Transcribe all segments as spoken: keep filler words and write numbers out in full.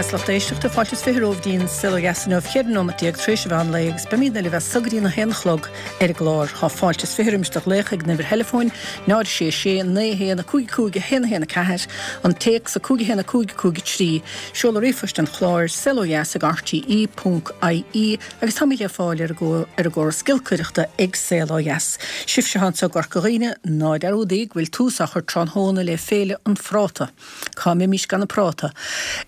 Deas lucht éisteachta fáilte is fiche romhaibh dtí'n Saol Ó Dheas inniu ceithre nóiméad déag tar éis an mheán lae agus beimid libh as so go dtí a haon a chlog ar an gclár. Tá fáilte is fiche roimis do ghlaoch ag an uimhir theileafóin náid sé sé naoi haon a cúig cúig a haon a haon a ceathair, an téacs a cúig a haon a cúig cúig a trí, seoladh ríomhphoist an chláir saol ó dheas ag RTE ponc IE agus táimid le fáil ar ar an gcóras giolcaireachta ag Saol Ó Dheas. Sibhse anseo i gCorca Dhuibhne ná dearúdaigí go bhfuil tús á chur tráthnóna le Féile an Phráta. Cá mbeimis gan an práta.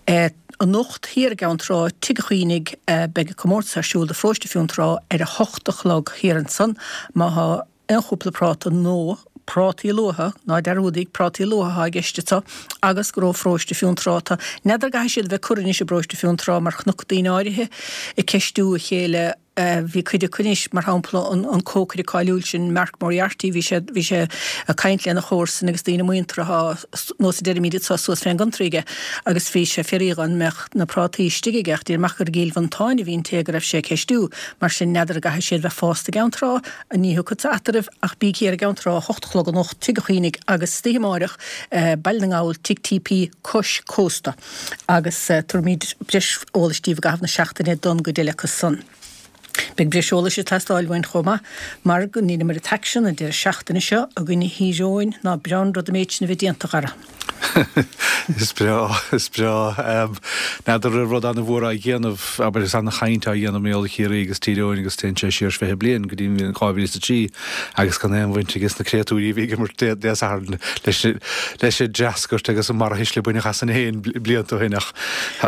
Eh, Anocht thiar i gCeann Trá Tigh an Chaonaigh beidh comórtas ar siúl do Pharóiste Fionntrá ar a hocht a chlog thiar ansan má tá aon chúpla práta nó prátaí luatha ná dearúdaigí prátaí luatha i gceist anseo agus gur ó pharóiste Fionntrá atá. N'fheadar an gcaithfidh siad a bheith curtha anois i bparóiste Fionntrá mar chonac daoine áirithe ag ceistiú a chéile bhí cuid acu anois mar shampla an, an cócaire cáiliúil sin Mark Moriarty bhí sé bhí sé ag caint lena chomharsan agus daoine muinteartha nós a deirimid anseo suas fén gcontrí aige agus bhí sé ag fiafraí an mbeadh na prátaí istigh aige ach deir amach gur i gCill Mhantáin a bhí an té go raibh sé ag ceistiú mar sin n'fheadar an gcaithfidh siad bheith fásta i gCeann Trá ní thiocfadsa eatarthu ach bí thiar i gCeann Trá a hocht a chlog anocht Tigh an Chaonaigh agus istoíche amáireach Baile na nGall Tigh TP cois cósta agus tabharfaimid breis eolais daoibh i gcaitheamh na seachtaine don gcuid eile acu san. Beidh breis eolais ag teastáil uainn chomh maith mar go ndeineamar an t-aicsean an deireadh seachtaine seo i gcoinne Thír Eoghain ná breá an rud an méid sin a bheith déanta a Dhara. Is breá is breá n'fheadar raibh rud an-mhór á dhéanamh abair is an-chaint á dhéanamh mar gheall ar Chiarraí agus Tír Eoghain agus téann sé siar fiche bliain go dtí an dhá mhíle is a trí agus gan aon bhaint aige na créatúirí a bhí ag imirt Dé Sathairn leis leis an dtreascairt agus an mbarrathuisle a baineadh asainn féin blianta ó shin ach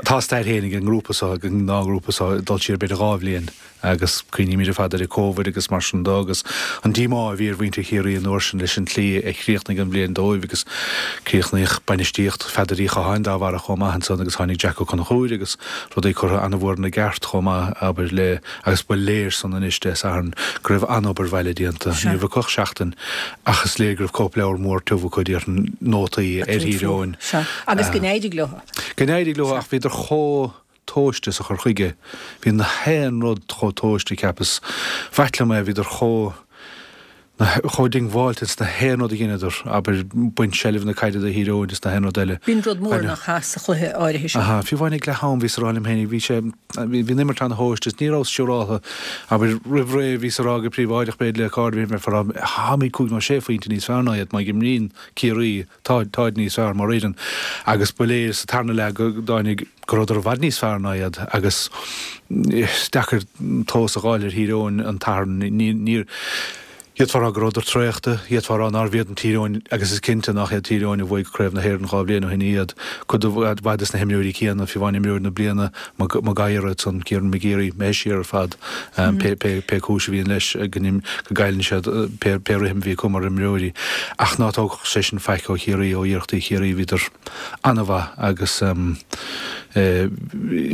tá stair féin ag an ngrúpa seo ag an dá ngrúpa seo ag dul siar b'fhéidir dhá bhliain. Agus cuimhnímid ar fad ar an Covid agus mar sin dó agus an díomá a bhí ar mhuintir Chiarraí an uair sin leis an tslí a chríochnaigh an bhliain dóibh agus críochnaíodh bainistíocht Pheadair Uí Chatháin dá bharra chomh maith ansan agus tháinig Jack Ó Conchúir agus rudaí curtha an-mhór ina gceart chomh maith abair le agus ba léir san anois Dé Sathairn go raibh an-obair bhaile déanta. Ní raibh acu ach seachtain ach is léir go raibh cóipleabhar mór tiubh acu déarfainn nótaí ar Thír Eoghain. Agus go n-éirigh leo. Go n-éirigh leo ach bhíodar chomh tomhaiste sa chur chuige. Bhí na haon rud chomh tomhaiste cheapas. B'ait liom é, bhíodar chomh chomh diongbháilte sna haon rud a dheineadar, abair, baint seilbh na caide do Thír Eoghain is na haon rud eile. B'in rud mór nach ea sa chluiche áirithe seo. Aha, fiú amháin ag leath am bhíos ag rá liom féin, bhí sé, bhí an imirt ana-thomhaiste is ní raibh siúráltha, abair, roimh ré bhíos ag rá go príobháideach b'fhéidir le cairde, bhí mé ag rá, táimid cúig nó sé phointe níos fearr ná iad má imríonn Ciarraí. Tá, táid níos fearr mar fhoireann agus ba léir sa tarna leath go dtáinig, go rabhadar i bhfad níos fearr ná iad agus is deacair tomhas a dh'fháil ar Thír Eoghain an tSathairn. Ní, níor, d'fhéadfá a rá go rabhadar traochta, d'fhéadfá a rá nárbh iad an Tír Eoghain agus is cinnte nach iad Tír Eoghain a bhuaigh Craobh na hÉireann dhá bhliain ó shin iad. Cuid mhaith des na himreoirí céanna, fiú amháin imreoir na bliana, Mag Uidhir ansan, Kieran McGeary, imithe siar ar fad, pé, pé, pé cúis a bhíonn leis, go go gcailleann siad pé, pé rithim a bhí acu mar imreoirí. Ach ná tógadh sé sin faic ó Chiarraí, ó iarrachtaí Chiarraí, bhíodar an-mhaith agus eh.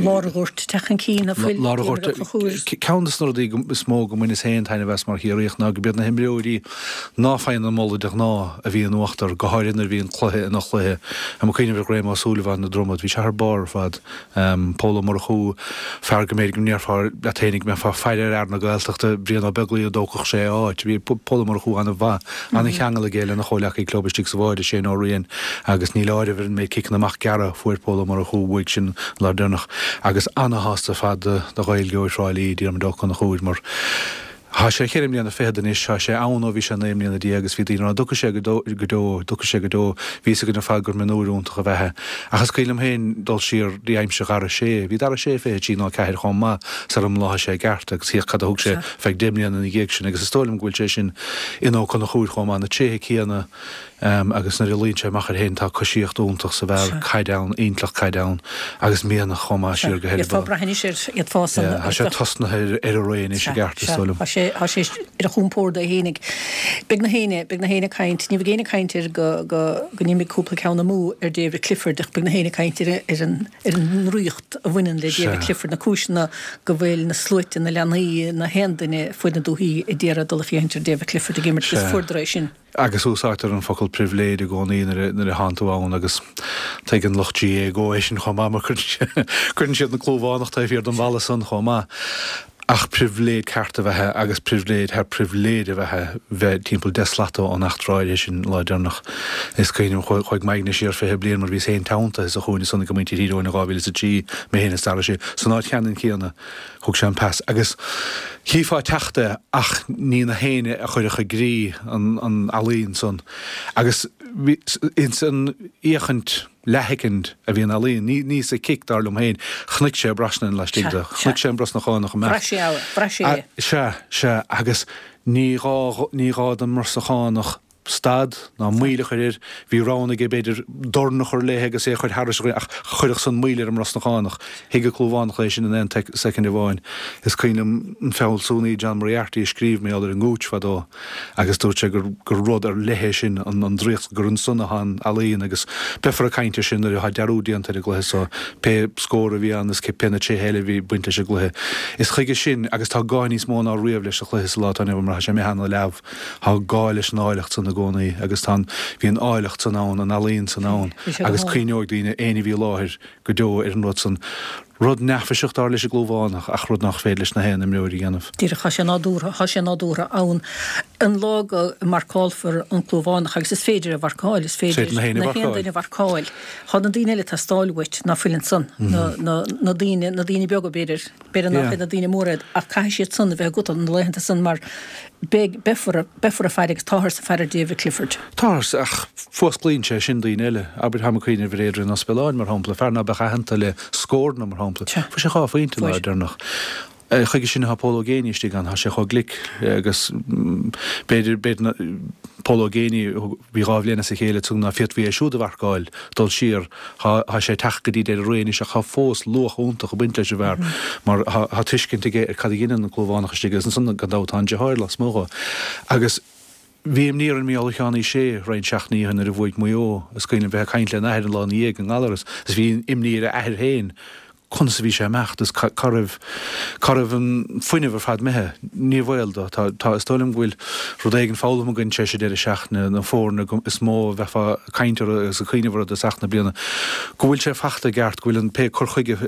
Lár an ghoirt ag teacht chun cinn, a fuil Lár an ghoirt, ceann de na rudaí is mó go mbaineas féin taitneamh as mar Chiarraíoch ná go b'iad na himreoirí ná faigheann an moladh de ghnáth a bhí in uachtar, go háirithe nuair a bhí an cluiche ina chluiche. Tá mé ag cuimhneamh ar Ghraham Ó Súilleabháin na Dromad, bhí sé thar barr ar fad. Pól Ó Murchú, fear go mb'fhéidir go ndéarfá leat féinig go mbeifeá ag faire ar fhear na Gaeltachta, Brian Ó Beaglaoich an dtógfadh sé a áit. Bhí Pól Ó Murchú an-mhaith, an-cheangal aige lena chomhleacaí club istigh sa bháide, Shane Ó Riain, agus níl áireamh ar an méid ciceanna amach gearra a fuair Pól Ó Murchú uaidh sin an lá deireanach. Agus an-shásta ar fad do Ghaeilgeoir Thrá Lí, Diarmuid Ó Conchúir, mar. Tá sé cheithre mbliana fichead anois, tá sé ann ó bhí sé naoi mbliana déag agus bhí daoine ag rá an dtiocfaidh sé go deo, dtiocfaidh sé go deo, bhí fhios againn ar fad gur mionúir iontach ab ea é. Ach is cuimhin liom féin dul siar dtí aimsir Dhara Sé, bhí Dara Sé fiche trí nó ceathair chomh maith sara mbláthaigh sé i gceart agus féach cad a thug sé feadh deich mbliana ina dhiaidh sin agus is dóigh liom go bhfuil sé sin in Ó Conchúir chomh maith, na tréithe céanna agus nuair a luíonn sé amach air féin tá coisíocht iontach sa bhfear, caid ann, intleacht caide ann agus mianach chomh maith siar go heireaball. D'fhéadfá brath anois air, d'fhéadfá san. Tá sé tosnaithe ar a ré anois i gceart, is dóigh liom. Tá sé, tá sé ar a chompord é fhéinig. Beidh na héinne, beidh na héinne ag caint, ní bheidh éinne ag caint air go, go, go n-imigh cúpla ceann amú ar David Clifford ach beidh na héinne ag caint ar, ar an, ar an ndraíocht a bhaineann le David Clifford, na cúiseanna go bhfuil na sluaite, na leanaí, na haon duine fuaid na dúthaí ag iarraidh dul ag féachaint ar David Clifford ag imirt agus fuaireadar é sin. Agus úsáidtear an focal pribhléid i gcónaí nuair a thánn tú ann agus tuigeann lucht GAA GO é sin chomh maith mar cuireann siad na clúmhánach taobh thiar den bhalla san chomh maith. Ach pribhléid ceart a bheith agus pribhléid thar pribhléid a bheith bheith timpeall deich slata ón eachtra áirithe sin lá deireanach. Is cuimhin liom chuaigh m'aigne siar fiche bliain mar bhíos féin teanntaithe sa chúinne san ag muintir Thír Eoghain in dhá mhíle is a trí, mé féin is Dara Sé, san áit cheannann chéanna. Thug sé an pas agus chífeá ag teacht é ach ní na héinne a chuirfeadh i gcrích an an ealaín san. Agus bhí ins an fhéachaint leathshoicind a bhí an ealaín, ní, ní sa chic, dar liom féin. Chonaic sé Brosnan laistigh de. Chonaic sé an Brosnachánach ag imeacht. Bhraith sé é, bhraith sé é. Sea, sea, agus ní gá, ní gá don mBrosnachánach stad ná moill a chur air. Bhí roghanna aige, b'fhéidir, dorn a chur léi agus é a chur thairis an ach chuirfeadh san moill ar an mBrosnachánach. Thuig an Clúmhánach é sin in aon soicind amháin. Is cuimhin liom an fealsúnaí John Moriarty a scríobh mar gheall ar an ngúits fadó agus dúirt sé gur gur rud ar leith é sin an an draíocht, gur ansan atá an ealaín agus beifear ag caint air sin nuair atá dearúd déanta ar an gcluiche so, pé scór a bhí ann is pé na tréithe eile a bhí ag baint leis an gcluiche. Is chuige sin, agus tá gá níos mó ná riamh leis sa chluiche sa lá atá inniu ann mar tá sé imithe ana-leamh, tá gá leis an áilleacht san i gcónaí agus tá an, bhí an áilleacht san ann, an ealaín san ann agus cuimhneoidh daoine, éinne a bhí i láthair go deo ar an rud san. Rud neafaiseach dar leis an gClúmhánach ach rud nach féidir leis na haon imreoir a dhéanamh. Díreach, tá sé nádúrtha, tá sé nádúrtha ann. An lá go marcálfar an Clúmhánach, agus is féidir é a mharcáil, is féidir na haon duine a mharcáil, tá na daoine eile ag teastáil uait ná fuil ansan, na, na, na daoine, na daoine beaga b'fhéidir, b'fhéidir nach iad na daoine móra iad, ach caithfidh siad san a bheith agat na laethanta san mar beidh, beifear, beifear ag faire agus táthar ag faire ar David Clifford. Táthar, ach fuasclaíonn sé sin daoine eile. Abair, táim ag cuimhneamh ar Adrian Ó Spealáin, mar shampla, fear ná beadh aitheanta le scóranna, mar shampla. Fuair sé dhá phointe an lá deireanach. Chuige sin atá Pól Ó Géibheannaigh istigh ann, tá sé chomh glic agus b'fhéidir, b'fhéidir, Pól Ó Géibheannaigh, bhí dhá bhliain as a chéile ansan ná féadfaí é siúd a mharcáil, dul siar, tá, tá sé ag teacht go dtí deireadh ré anois ach tá fós luach iontach ag baint leis an bhfear mar tá, tá tuiscint aige ar cad a dheineann an Clúmhánach istigh agus ansan gan dabht tá an deartháir lasmuigh dhó. Agus bhí imní ar Mhícheál Sheáin Uí Shé roinnt seachtainí ó shin nuair a bhuaigh Maigh Eo, is cuimhin liom bheith ag caint lena athair an lá ina dhiaidh i nGallaras agus bhí imní ar a athair féin conas a bhí sé ag imeacht is cá raibh, cá raibh an fuinneamh ar fad imithe. Ní baol dó. Tá, tá, is dóigh liom go bhfuil rud éigin foghlamtha againn tar éis an deireadh seachtaine, na foirne is mó a bheifeá ag caint orthu agus ag cuimhneamh orthu i dtosach na bliana, go bhfuil sé fachta i gceart, go bhfuil an pé cur chuige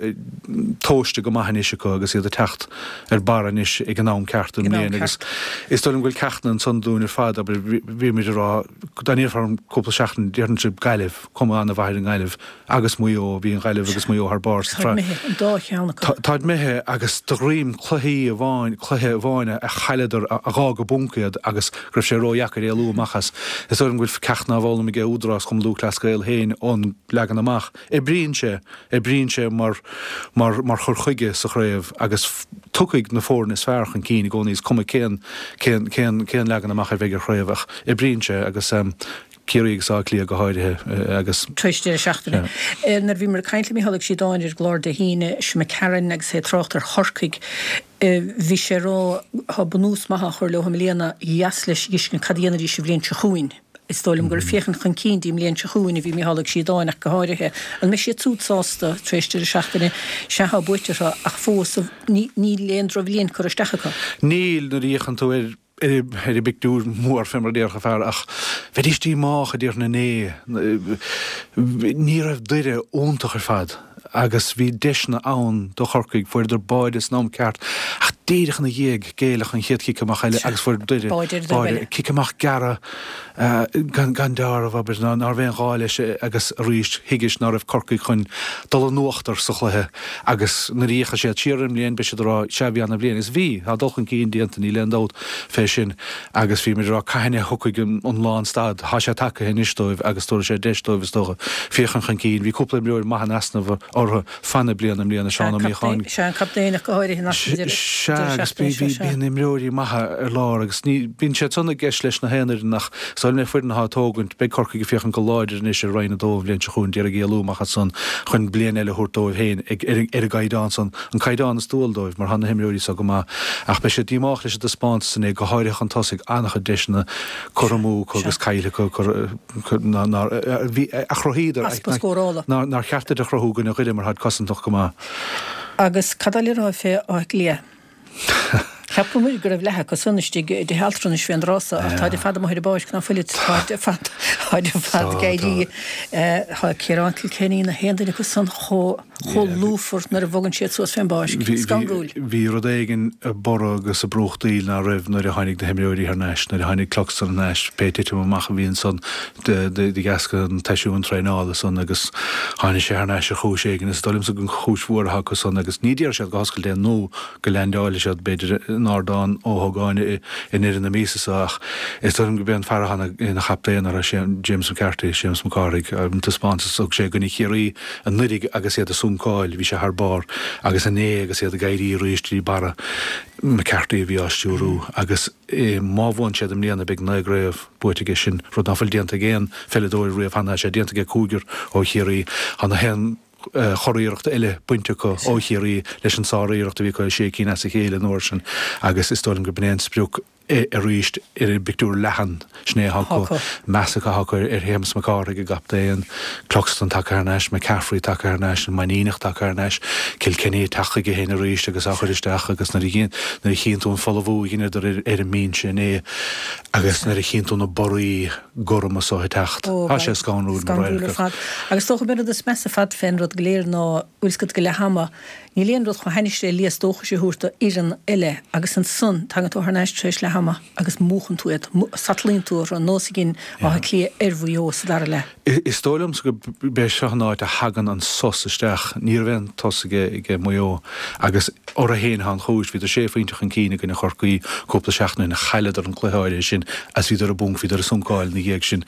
tomhaiste go maith anois acu agus iad ag teacht ar barr anois ag an am ceart i mbliana agus is dóigh liom go bhfuil ceachtanna ansan dúinn ar fad, abair, bhí muid ag rá, dá ndéarfá orm cúpla seachtain, déarfainnse Gaillimh, cuma an-mhaith ar an nGaillimh. agus Maigh Eo, bhí an Ghaillimh agus Maigh Eo thar barr sa tsraith. Táid imithe, an dá cheann acu. Táid imithe agus de dhroim cluichí amháin, cluiche amháin a chailleadar, a dh'fhág i bponc iad agus go raibh sé ródheacair éalú amach as. Is dóigh liom go bhfuil ceachtanna á bhfoghlaim ag Údarás Chumann Lúthchleas Gael féin ón leagan amach. Oibríonn sé, oibríonn sé mar, mar, mar chur chuige sa chraobh agus tiocfaidh na foirne is fearr chun cinn i gcónaí, is cuma cén, cén, cén, cén leagan amach a bheidh ar chraobh ach oibríonn sé agus. Ciarraí agus Áth Cliath go háirithe agus. Tar éis deireadh seachtaine. Nuair a bhíomar ag caint le Mícheál Ó Síodáin ar an gclár Dé hAoine seo imigh tharainn agus é ag trácht ar Chorcaigh, bhí sé ag rá tá bunús maith á chur leo i mbliana, dheas leis a fheiscint cad a dhéanfaidís an bhliain seo chugainn. Is dóigh liom gur ag féachaint chun cinn dtí an mbliain seo chugainn a bhí Mícheál Ó Síodáin ach go háirithe. An mbeidh siad siúd sásta tar éis deireadh seachtaine? Sea, tá buaite orthu ach fós níl aon drochbhliain curtha isteach acu. Níl, nuair a fhéachann tú ar ar an bpictiúr mór fé mar a déarfadh fear, ach bheidís díomách, a déarfainn inné. Ní raibh Doire iontach ar fad agus bhí deiseanna ann do Chorcaigh, fuaireadar báide san am ceart ach díreach ina dhiaidh géilleadh an chéad chic amach eile agus fuair Doire báide, cic amach gearra gan dealramh, abair, ná raibh aon ghá leis agus arís thuigis ná raibh Corcaigh chun dul in uachtar sa chluiche agus nuair a fhéachfaidh siad siar ar an mbliain beidh siad ag rá sea bhí ana-bhliain agus bhí, tá dul chun cinn déanta, níl aon dabht fé sin agus bhí muid ag rá cathain a thiocfaidh an lánstad, tá sé tagtha anois dóibh agus tabharfaidh sé deis dóibh is dócha féachaint chun cinn. Bhí cúpla imreoir maith in easnamh orthu fan na bliana i mbliana, Seán Ó Míocháin. Sea, an captaen ach go háirithe in easnamh deireadh Sea, agus bíonn imreoirí maithe ar lár agus ní, bíonn siad san i gceist leis na haon fhoireann ach is dóigh liom le foireann atá ag tógaint, beidh Corcaigh ag féachaint go láidir anois ar Roinn a Dó an bhliain seo chugainn, d'iarraidh éalú amach as san chun bliain eile a thabhairt dóibh féin ag, ar an gcaighdeán san, an caighdeán is dual dóibh mar tá na himreoirí so go maith ach beidh siad díomách leis an dtaispeántas inné, go háirithe chun tosaigh, an-chuid deiseanna curtha amú acu agus caillte acu, nár, bhí, a chruthaíodar, Easpa scórála. nár cheart duit a chruthú i gcoinne Dhoire mar táid cosantach go maith. Agus cad tá le rá fé Áth Cliath? Cheapamar go raibh leath acu san istigh i dtithe altranais fén dtráth so ach táid ar fad amuigh ar an bpáirc, ná fuilid? Táid ar fad, táid ar fad ag éirí. Tá Ciarán Kilkenny na haon duine acu san chomh, chomh lúfar nuair a bhogann siad suas fén bpáirc. Scanrúil. Bhí rud éigin ag borradh agus ag brúchtaíl ná raibh nuair a tháinig na himreoirí thar n-ais, nuair a tháinig Cluxton thar n-ais, pé titim amach a bhí ansan de dheasca an tseisiúin traenála san agus tháinig sé thar n-ais ar chúis éigin. Is dóigh liomsa gur chúis mhór atá acu san agus ní déarfaidh siad go hoscailte é nó go leaindeálfaidh siad b'fhéidir in Ardán Ó hÓgáin i ndeireadh na míosa seo ach is dóigh liom gurb é an fear atá ina chaptaen orthu, James McCarthy, Séamus Mac Cárthaigh, an taispeántas a thug sé i gcoinne Chiarraí anuraidh agus iad ag suncáil, bhí sé thar barr agus inné agus iad ag éirí arís trí barra, McCarthy a bhí á stiúrú agus má bhuann siad i mbliana beidh naoi gcraobh buaite aige sin, rud ná fuil déanta ag aon pheileadóir riamh cheana, tá sé déanta aige cúigear ó Chiarraí, tá na haon churiarracht eile bainte acu ó Chiarraí leis an sár-iarracht a bhí acu sé cinn as a chéile an uair sin agus is dóigh liom gurb in é an sprioc arís ar an bpictiúr leathan. Sin é atá acu. Meas atá acu ar Shéamus Mac Cárthaigh, a gcaptaen, Cluxton tagtha thar n-ais, McCaffrey tagtha thar n-ais, an Mainníneach tagtha thar n-ais, Kilkenny ag teacht chuige féin arís agus á chur isteach agus nuair a chíonn tú an folmhú a dheineadar ar an mbinse inné agus nuair a chíonn tú na borraí gorma so ag teacht, tá sé scanrúil mar radharc. Scanrúil ar fad. Agus is dócha an rud is measa ar fad fén rud go léir ná, bhfuil 's agat, go leath ama, níl aon rud chomh hainnis le léas dóchais a thabhairt do fhoireann eile agus ansan tagann tú thar n-ais tar éis leath ama agus múchann tú iad, satlaíonn tú orthu, ar nós a dhein Áth Cliath ar Mhaigh Eo sa dara leath. Is dóigh liomsa gurb é seo an áit a thagann an sos isteach. Ní raibh aon sos ag Maigh Eo agus orthu féin atá an chúis. Bhíodar sé phointe chun cinn i gcoinne Chorcaí cúpla seachtain ó shin. Chailleadar an cluiche áirithe sin agus bhíodar ag bponc, bhíodar ag suncáil ina dhiaidh sin.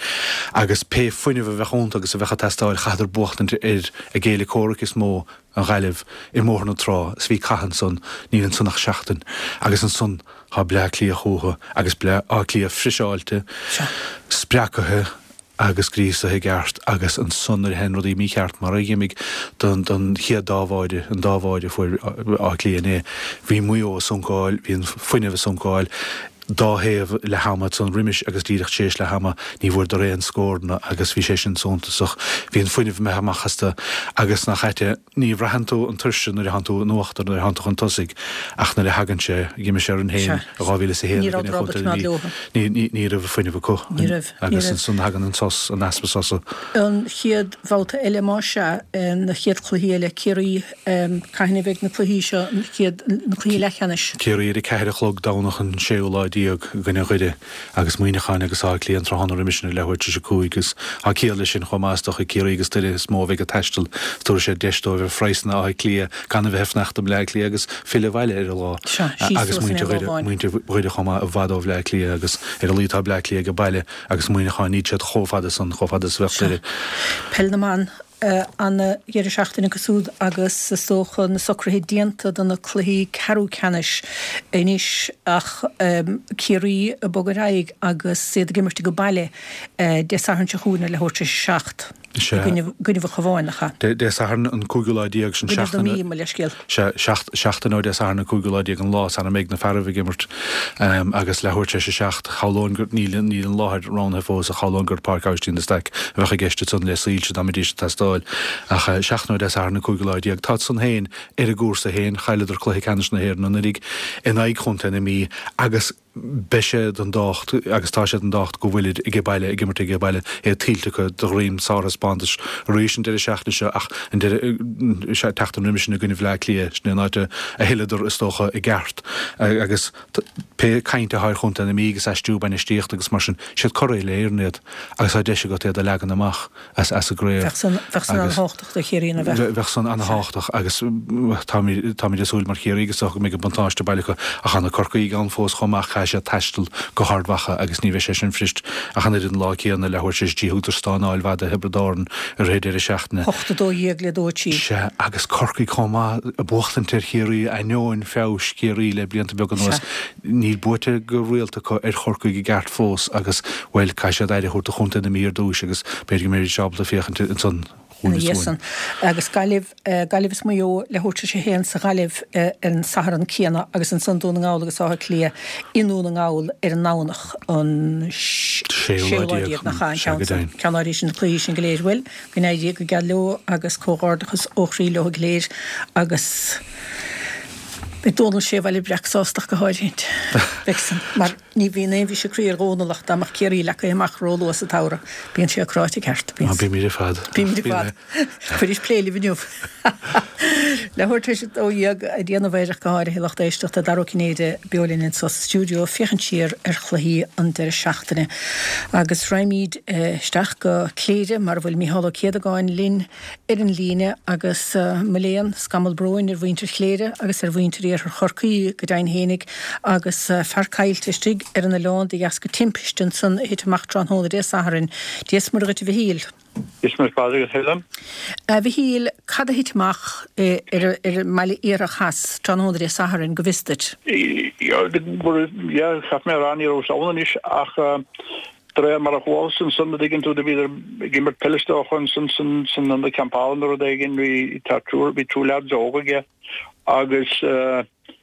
Agus pé fuinneamh a bheadh iontu agus a bheadh ag teastáil, chaitheadar buachtaint ar a gcéile comhraic is mó, an Ghaillimh, i mBóthar na Trá is bhí cath ansan, níl ansan ach seachtain agus ansan tá Bleá Cliath chúthu agus Bleá Cliath friseáilte, spreagtha agus gríosaithe i gceart agus ansan nuair a théann rudaí mícheart mar a dh'imigh don don chéad dá bháide, an dá bháide a fuair Áth Cliath inné, bhí Maigh Eo ag suncáil, bhí an fuinneamh ag suncáil. dá thaobh leath ama ansan roimis agus díreach tar éis leath ama ní bhfuaireadar aon scóranna agus bhí sé sin suntasach. Bhí an fuinneamh imithe amach astu agus nach ait é, ní bhraitheann tú an tuirse nuair a thánn tú in uachtar, nuair a thánn tú chun tosaigh ach nuair a thagann sé, d'imigh sé orainn féin i dhá mhíle is a haon i gcoinne Chontae na Mí, ní, ní raibh fuinneamh acu agus ansan thagann an sos, an easpa sosa. An chéad bhabhta eile más ea, na chéad chluichí eile, Ciarraí, Cathain a bheidh na cluichí seo, na chéad, na cluichí leathcheannais? Ciarraí ar a ceathair a chlog Domhnach an séú lá déag i gcoinne Dhoire agus Muineachán agus Áth Cliath an tráthnóna roimis sin ar leathuair tar éis a cúig agus tá ciall leis sin chomh maith is dócha Ciarraí agus Doire is mó a bheidh ag taisteal is tabharfaidh sé deis dóibh ar phraghsanna Átha Cliath gan a bheith ag fanacht i mBleá Cliath agus filleadh abhaile ar an lá agus muintir Dhoire, muintir Dhoire chomh maith i bhfad ó Bhleá Cliath agus ar a laghad tá Bleá Cliath ag baile agus Muineachán níl siad chomh fada san, chomh fada is a bheadh Doire. Peil na mBan. An deireadh seachtaine acu siúd agus is dócha na socruithe déanta do na cluichí ceathrú ceannais anois ach Ciarraí ag bogadh ar aghaidh agus iad ag imirt age baile Dé Sathairn seo chugainn ar leathuair tar éis a seacht i gcoinnibh an Chabháin, nach ea? Dé Sathairn an cúigiú lá déag, sin seachtain. Gcoinnibh na Mí, mo leithscéal. Sea, seachtain ó Dé Sathairn an cúigiú lá déag an lá san a mbeidh na fearaibh ag imirt agus leathuair tar éis a seacht, shamhlóinn gur, níl, níl an láthair roghnaithe fós ach shamhlóinn gur Páirc Aibhistín de Staic a bheadh i gceist ansan le soilse dá mbeidís ag teastáil. Ach seachtain ó Dé Sathairn an cúigiú lá déag, táid san féin ar a gcúrsa féin, chailleadar cluiche ceannais na hÉireann anuraidh in aghaidh Chontae na Mí agus beidh sé den dtábhacht agus tá sé den dtábhacht go bhfuilid age baile, ag imirt age baile, é tuillte acu de dhroim sárthaispeántais arís an deireadh seachtaine seo ach an deireadh tseachtain roimis sin i gcoinne Bhleá Cliath, sin é an áit a thuilleadar is dócha i gceart agus pé caint atá ar Chontae na Mí agus aistriú bainistíochta agus mar sin, siad curaidh uile-Éireann iad agus tá deis agat iad a leagan amach. as an gcraobh. Bheadh san an-thábhachtach do Chiarraí, nach mbeadh? Bheadh san an-thábhachtach agus táimid ag súil mar Chiarraígh is dócha go mbeidh an buntáiste baile acu ach tá na Corcaígh ann fós chomh maith, caithfidh siad taisteal go hArd Mhacha agus ní bheidh sé sin fuirist ach an oiread an lá céanna, leathuair tar éis a trí thugadar stánáil mhaith do Thiobraid Árann i rith an deireadh seachtaine. Hocht a dó dhéag le dó a trí. Sea, agus Corcaigh chomh maith ag buachtaint ar Chiarraí ainneoin feabhais Chiarraí le blianta beaga anuas. Níl buaite go rialta acu ar Chorcaigh i gceart fós agus, bhuel, caithfidh siad aire a thabhairt do chontae na Mí ar dtúis agus b'fhéidir go mbeidís ábalta féachaint ansan ina dhiaidh san. Agus Gaillimh, Gaillimh is Maigh Eo leathuair tar éis a haon sa Ghaillimh ar an Satharn céanna agus ansan Dún na nGall agus Áth Cliath i nDún na nGall ar an nDomhnach an séú lá déag, nach ea, an ceann san, ceann áirithe sin, na cluichí sin go léir. Bhuel, go n-éirí go geal leo agus comhghairdeachas ó chroí leo go léir agus. Beidh Dónal Sé Bhaile Breac sásta go háirithe. Beidh san, mar ní bhíonn aon bhriseadh croí ar Dhónal ach dá mbeadh Ciarraí leagtha amach róluath sa tsamhradh. Bíonn sé cráite ceart. Bíonn. Bímid ar fad. Bímid ar fad. Fuairis plé libh inniu. Leathuair tar éis a dó dhéag ag déanamh air ach go háirithe lucht éisteachta Dara Ó Cinnéide beo linn anseo sa stiúideo ag féachaint siar ar chluichí an deireadh seachtaine. Agus raghaimid isteach go Cléire mar a bhfuil Micheál Ó Céadagáin linn ar an líne agus mo léan, scamall bróin ar mhuintir Chléire agus ar mhuintir Iarthar Chorcaí go deimhin fhéinig agus fear caillte istigh ar an oileán de dheasca timpiste ansan a thit amach tráthnóna Dé Sathairn. Dia is Muire dhuit a Mhichíl. Dia is Muire Pádraig a Helen. A Mhichíl, cad a thit amach ar an mBaile Iarthach Theas tráthnóna Dé Sathairn go bhfios duit? Yeah, chaith mé a rá ní raibh ann anois ach De réir mar a chualas ansan, a dtuigeann tú, do bhíodar ag imirt peile is dócha ansan san san ionad campála nó rud éigin, bhí tá triúr, bhí triúr leaids óg aige agus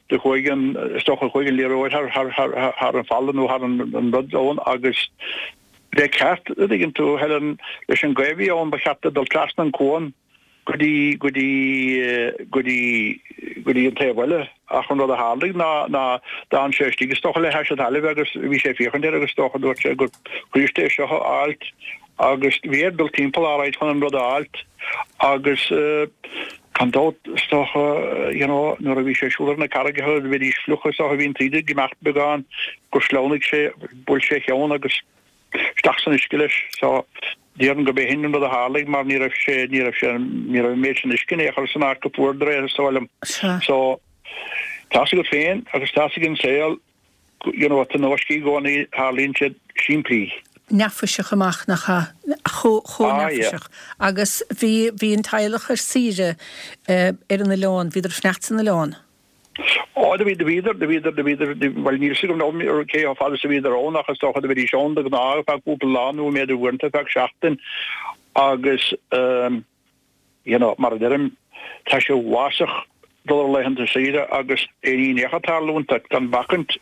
do chuaigh an, is dócha chuaigh an liathróid thar thar thar thar an falla nó thar an an rud ann agus le ceart, a dtuigeann tú, Helen, leis an gaoth a bhí ann ba cheart dó dul trasna an cuan go dtí, go dtí, go dtí, go dtí an taobh eile ach an rud a tharlaigh ná, ná d'fhan sé istigh is dócha le hais an talaimh agus bhí sé ag féachaint air agus is dócha dúirt sé gur Chríost é seo a fháilt agus bhí air dul timpeall alright chun an rud a fháilt agus gan dabht is dócha you know nuair a bhí sé ag siúl ar na carraigeacha bhídís fliuch is dócha bhí an taoide ag imeacht beagán gur shleamhnaigh sé, bhuail sé a cheann agus isteach san uisce leis. So, déarfainn gurb é sin an rud a tharlaigh mar ní raibh sé, ní raibh sé, ní raibh an méid sin uisce in aon chor san áit go fuaradar é, is dóigh liom. So, tá's agat féin agus tá's ag an saol, you know, tionóiscí i gcónaí, tarlaíonn siad simplí. Neafaiseach amach, nach ea? Chomh, chomh Ah, yeah. neafaiseach. Agus bhí, bhí an teaghlach ar saoire ar an oileán, bhíodar ag fanacht san oileán. Ó, do bhí, do bhíodar, do bhíodar, do bhíodar, bhuel, níl 'fhios agam now cé chomh fada is a bhíodar ann ach is dócha do bhídís ann de ghnáth ar feadh cúpla lá nó b'fhéidir uaireanta ar feadh seachtain agus ehm you know, mar a deirim, tá sé uafásach dul ar laethanta saoire agus aon ní in aon chor tarlúint duit gan bacaint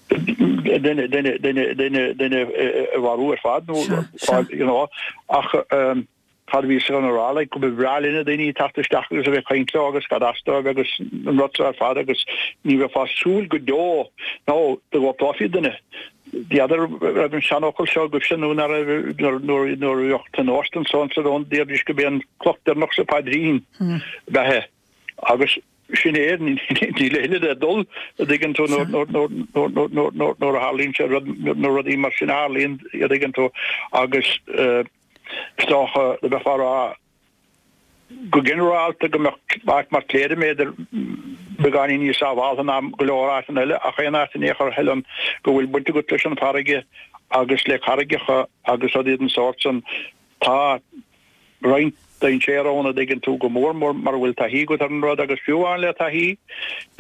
duine, duine, duine, duine, duine a mharú ar fad nó you know, ach ehm Cad a bhíos chun a rá, like, go ba bhreá linn na daoine teacht isteach agus a bheith ag caint leo agus cad as dóibh agus an rud seo ar fad agus ní bheifeá ag súil go deo nó do ghortófaí duine. N'fheadar raibh an seanfhocal seo agaibhse nó nach raibh nuair nuair nuair a bheadh tionóisc den sórt san ann déarfaidís go b'é an cloch deireanach sa phaidrín ab ea é agus sin é níl a thuilleadh le dul a dtuigeann tú nuair nuair a tharlaíonn sé rud nuair rudaí mar sin a tharlaíonn a dtuigeann tú agus eh, Is dócha, do bheifeá a rá go ginearálta go mbeadh áit mar Cléire b'fhéidir beagáinín níos sábháltha ná go leor áiteanna eile ach aon áit in aon chor a Helen go bhfuil baint agat leis an bhfarraige agus le carraigeacha agus rudaí den sórt san tá roinnt dainséar ann a dtuigeann tú go mór mór mura bhfuil taithí agat ar an rud agus fiú amháin le taithí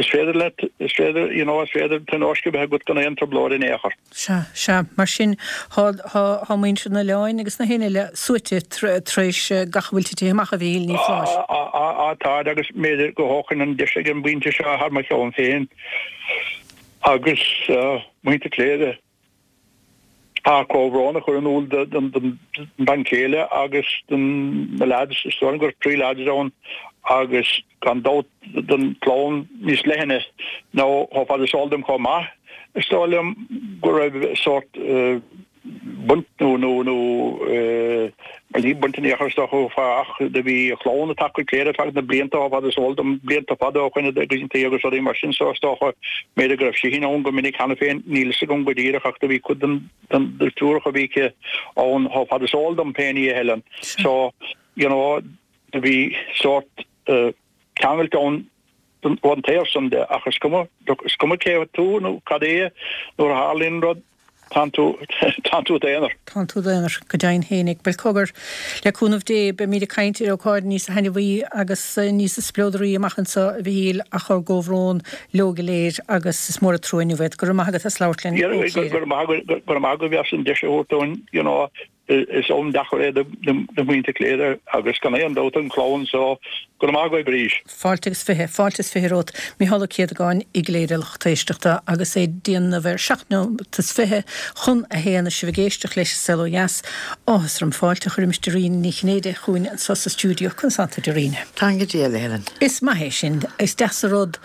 is féidir leat is féidir you know is féidir tionóisc a bheith agat gan aon trioblóid in aon chor. Sea, sea. Mar sin, thá, thá, thá muintir an oileáin agus na héinne eile suaite tar éis gach a bhfuil titithe amach, a Mhichíl Ní Phláis. Á, á, á, táid agus b'fhéidir go dtógfainn an deis ag an bpointe seo thar mo cheann féin agus muintir Chléire ár comhbhrón a chur in iúl don bhean chéile agus don na lads, is dóigh liom go raibh trí lads ann agus gan dabht don chlann níos leithne nó chomh fada is eol dom chomh maith, is dóigh liom go raibh sórt baint nó nó nó bhuel ní baint in aon chor is dócha ach do bhí a chlann ag teacht go Cléire ar feadh na blianta chomh fada is eol dom, blianta fada ó shoin agus agus rudaí mar sin so is dócha b'fhéidir go raibh sí féin ann go minic cheana féin, níl fhios agam go díreach ach do bhí cuid den den deirfiúracha a bhí aici ann chomh fada is eol dom féin í a Helen so you know do bhí sórt ceangailt ann ón taobh san de ach is cuma, is cuma cé tú nó cad é nuair a tharlaíonn rud, tánn tú, tánn tú i d'aonar. Tánn tú i d'aonar, go deimhin fhéinig. Bhuel cogar, le cúnamh Dé, beimíd ag caint ar ócáid níos thaitneamhaí agus níos spleodraí amach anseo, a Mhichíl, ach ár gcomhbhrón leo go léir agus is mór an trua inniu iad. Go raibh maith agat as labhairt linn ó Chléire. Go raibh maith agat, go raibh maith agaibh as an deis a thabhairt dúinn, you know, Is am deacair é do mhuintir Chléire agus gan aon dabht an chlann so. Go raibh maith agaibh arís. Fáilte agus fiche, fáilte is fiche romhat, Micheál Ó Céadagáin i gCléire, lucht éisteachta, agus é ag déanamh ar seacht nóimeat is fiche chun a haon, is sibh ag éisteacht leis an Saol Ó Dheas. Áthas orm fáilte a chur roimis Doireann Ní Chinnéide chugainn anseo sa stiúideo. Conas tánn tú, Doireann? Táim go diail, a Helen. Is maith é sin. Is deas an rud.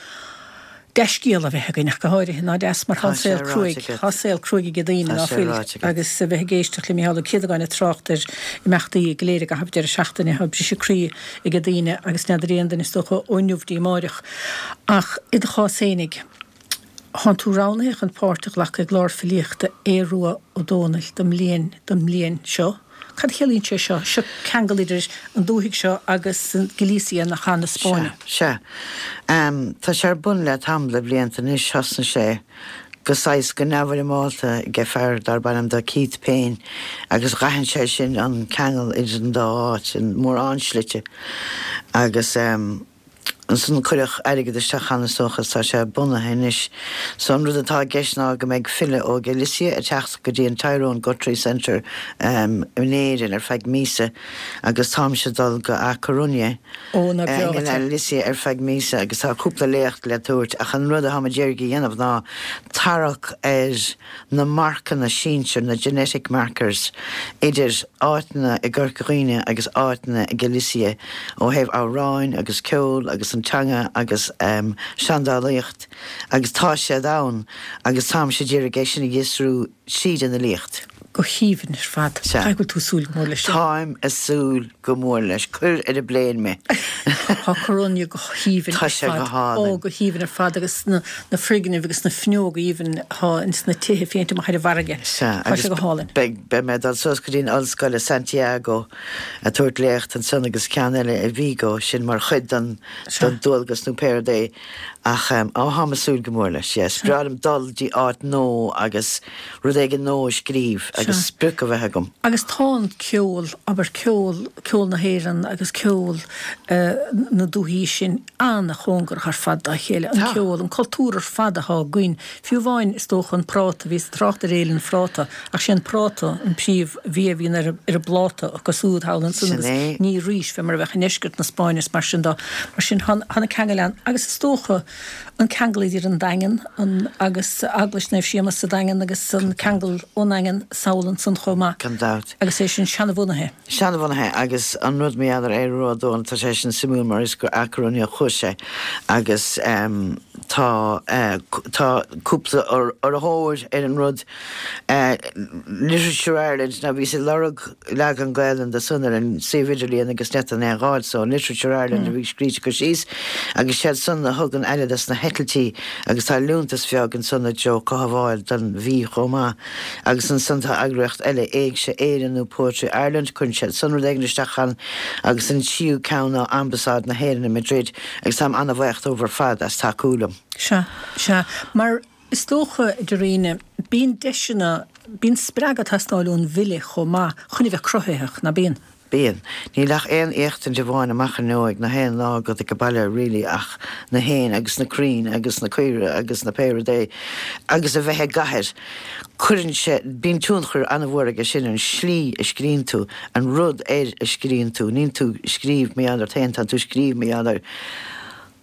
Dea-scéal a bheith againn ach go háirithe ná deas mar tá Tá sé saol ráite cruaidh, agat. tá saol cruaidh ag daoine Tá ná sé fuil ráite agat. agus a bheith ag éisteacht le Micheál Ó Céadagáin ag trácht ar imeachtaí go léir i gcaitheamh deireadh seachtaine tá briseadh croí ag daoine agus n'fheadar aon duine is dócha ó inniu dtí amáireach. Ach i do chás fhéinig, Tánn tú roghnaithe chun páirt a ghlacadh i gclár filíochta Aodh Rua Ó Dónaill don mbliain don mbliain seo. Cad a chiallaíonn sé seo? Seo ceangal idir an dúthaigh seo agus an Galicia na chan na Spáinne. Sea. Um, tá sé ar bun le tamall de bhlianta anois thosnaigh sé go saghas go neamhfhoirmeálta ag fear darb ainm do Keith Payne agus d'aithin sé sin an ceangal idir an dá áit in mórán slite agus um, ansan cuireadh airgead isteach ann is dócha tá sé bunaithe anois. So an rud atá i gceist ná go mbeidh file ó Galicia ag teacht go dtí an Tyrone Guthrie Centre um, in Éirinn ar feadh míosa agus táimse dul go A Coruña Ó, ná eh, breá in Galicia ar feadh míosa agus tá cúpla léacht le tabhairt ach an rud atá muid ag iarraidh a dhéanamh ná tarrac ar na marcanna sinsir na genetic markers idir áiteanna i gCorca Dhuibhne agus áiteanna i Galicia ó thaobh amhráin agus ceol agus an teanga agus um, seandálaíocht agus tá siad ann agus táimse ag iarraidh é sin a fhiosrú tríd an fhilíocht. Go haoibhinn ar fad. Sea. Tá bhfuil tú súil go mór leis sin. Táim ag súil go mór leis, cuir ar an bplane mé. Tá Coruña go haoibhinn Tá ar sé fad. go hálainn. Ó go haoibhinn ar fad agus na, na foirgnimh agus na fuinneoga aoibhinn atá ins na tithe féinte amach ar an bhfarraige. Sea, Tá sé go hálainn. Beidh beidh mé dul suas go dtí an ollscoil i Santiago a tabhairt léacht ansan agus ceann eile i Vigo sin mar chuid den Sea. den dualgas nó pé rud é ach um, á táim ag súil go mór leis, yes. Breá liom dul dtí áit nua agus rud éigin nua a scríobh agus Sea. sprioc a bheith agam. Agus tá an ceol, abair ceol, ceol na hÉireann agus ceol uh, na dúthaí sin an-chóngarach ar fad dá chéile. An Tá. ceol, an cultúr ar fad atá againn. Fiú amháin is dócha an práta, bhí trácht ar Fhéile an Phráta, ach sé an práta an príomhbhia a bhíonn ar, ar an bpláta agus úd thall ansan Sin agus é. ní rís fé mar a bheadh i ndeisceart na Spáinne is mar sin dó. Mar sin tá na ceangail ann. Agus is dócha an ceangal idir an Daingean an, agus Eaglais Naomh Séamus sa Daingean agus an ceangal ón Daingean sall ansan chomh maith. Gan dabht. Agus é sin seanbhunaithe. Seanbhunaithe agus an rud mé ar Aodh Rua Ó Dónaill tá sé sin suimiúil mar is go A Coruña chuaigh sé agus um, tá uh, tá cúpla urraitheoir ar an rud uh, Literature Ireland na bhí sé lorg leagan Gaeilge de san ar an suíomh idirlín agus net an é gáil so Literature Ireland a bhí scríte go síos agus siad san a thugann eile des na heitiltí agus tá liúntas beag ansan a Joe Cothabháil don mhí chomh maith agus ansan tá eagraíocht eile Éigse Éireann nó Poetry Ireland chuir siad san rud éigin isteach ann agus an tríú ceann ná Ambasáid na hÉireann i Madrid agus táim an-bhuíoch dóibh ar fad as tacú liom. Sea, sea, mar is dócha Dairena, bíonn deiseanna, bíonn spreagadh ag teastáil ón bhfile chomh maith chun a bheith cruthaitheach ná bíonn. Bíonn. Níl ach aon éachtaint amháin amach inniu ag na haon lá agat ag baile really ach na héin agus na crainn agus na caora agus na pé rud é agus a bheith i gcathair. Cuireann sé bíonn tionchar an-mhór aige sin an slí a scríonn tú, an rud air a scríonn tú, níl tú scríobh mé ar féin tá tú scríobh mé ar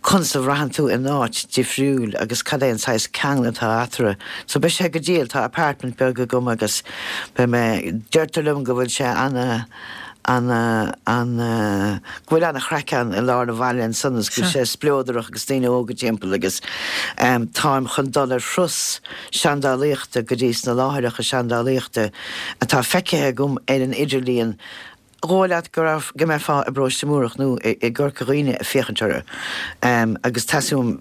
conas a bhraitheann tú in áit difriúil agus cad é an saghas ceangal atá eatarthu. So beidh sé go diail tá apartment beag agam agus be mé deirtear liom go bhfuil sé ana an an go bhfuil an-chraic ann i lár na bhaile ansan go bhfuil sé spleodrach agus daoine óga timpeall agus um, táim chun dul ar thuras seandálaíochta go dtí sna láithreacha seandálaíochta atá feicthe agam ar an idirlíon Dhóigh leat go raibh go mbeifeá i bParóiste Múrach nó i gCorca Dhuibhne ag féachaint orthu. Um, agus teastaíonn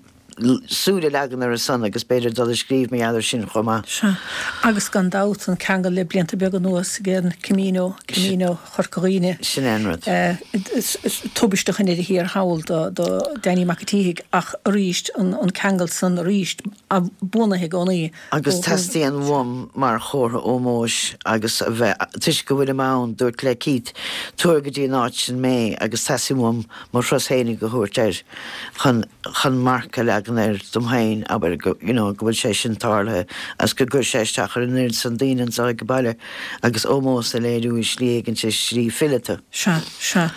súil a leagan ar a son agus b'fhéidir dul a scríobh mé eadar sin chomh maith. Sea, agus gan dabht an ceangal le blianta beaga anuas ag an Camino, Camino Chorca Dhuibhne. Sin é an rud. Uh, Tubaiste in ar thiar thall do, do Danny Mac an tSíthigh ach arís an, an ceangal san arís a bunaithe gcónaí. Agus teastaíonn uaim mar chomhartha ómóis agus a bheith toisc go bhfuil ann dúirt le Keith tabhair go dtí an áit sin mé agus teastaíonn uaim mo thuras féinig a thabhairt air chun chun marc a leagan air dom féin abair go you know, go bhfuil sé sin tarlaithe as go gcuir sé isteach ar an oiread san daoine anseo ag baile agus ómós a léiriú i slí éigin sé slí fileata. Sea, sea.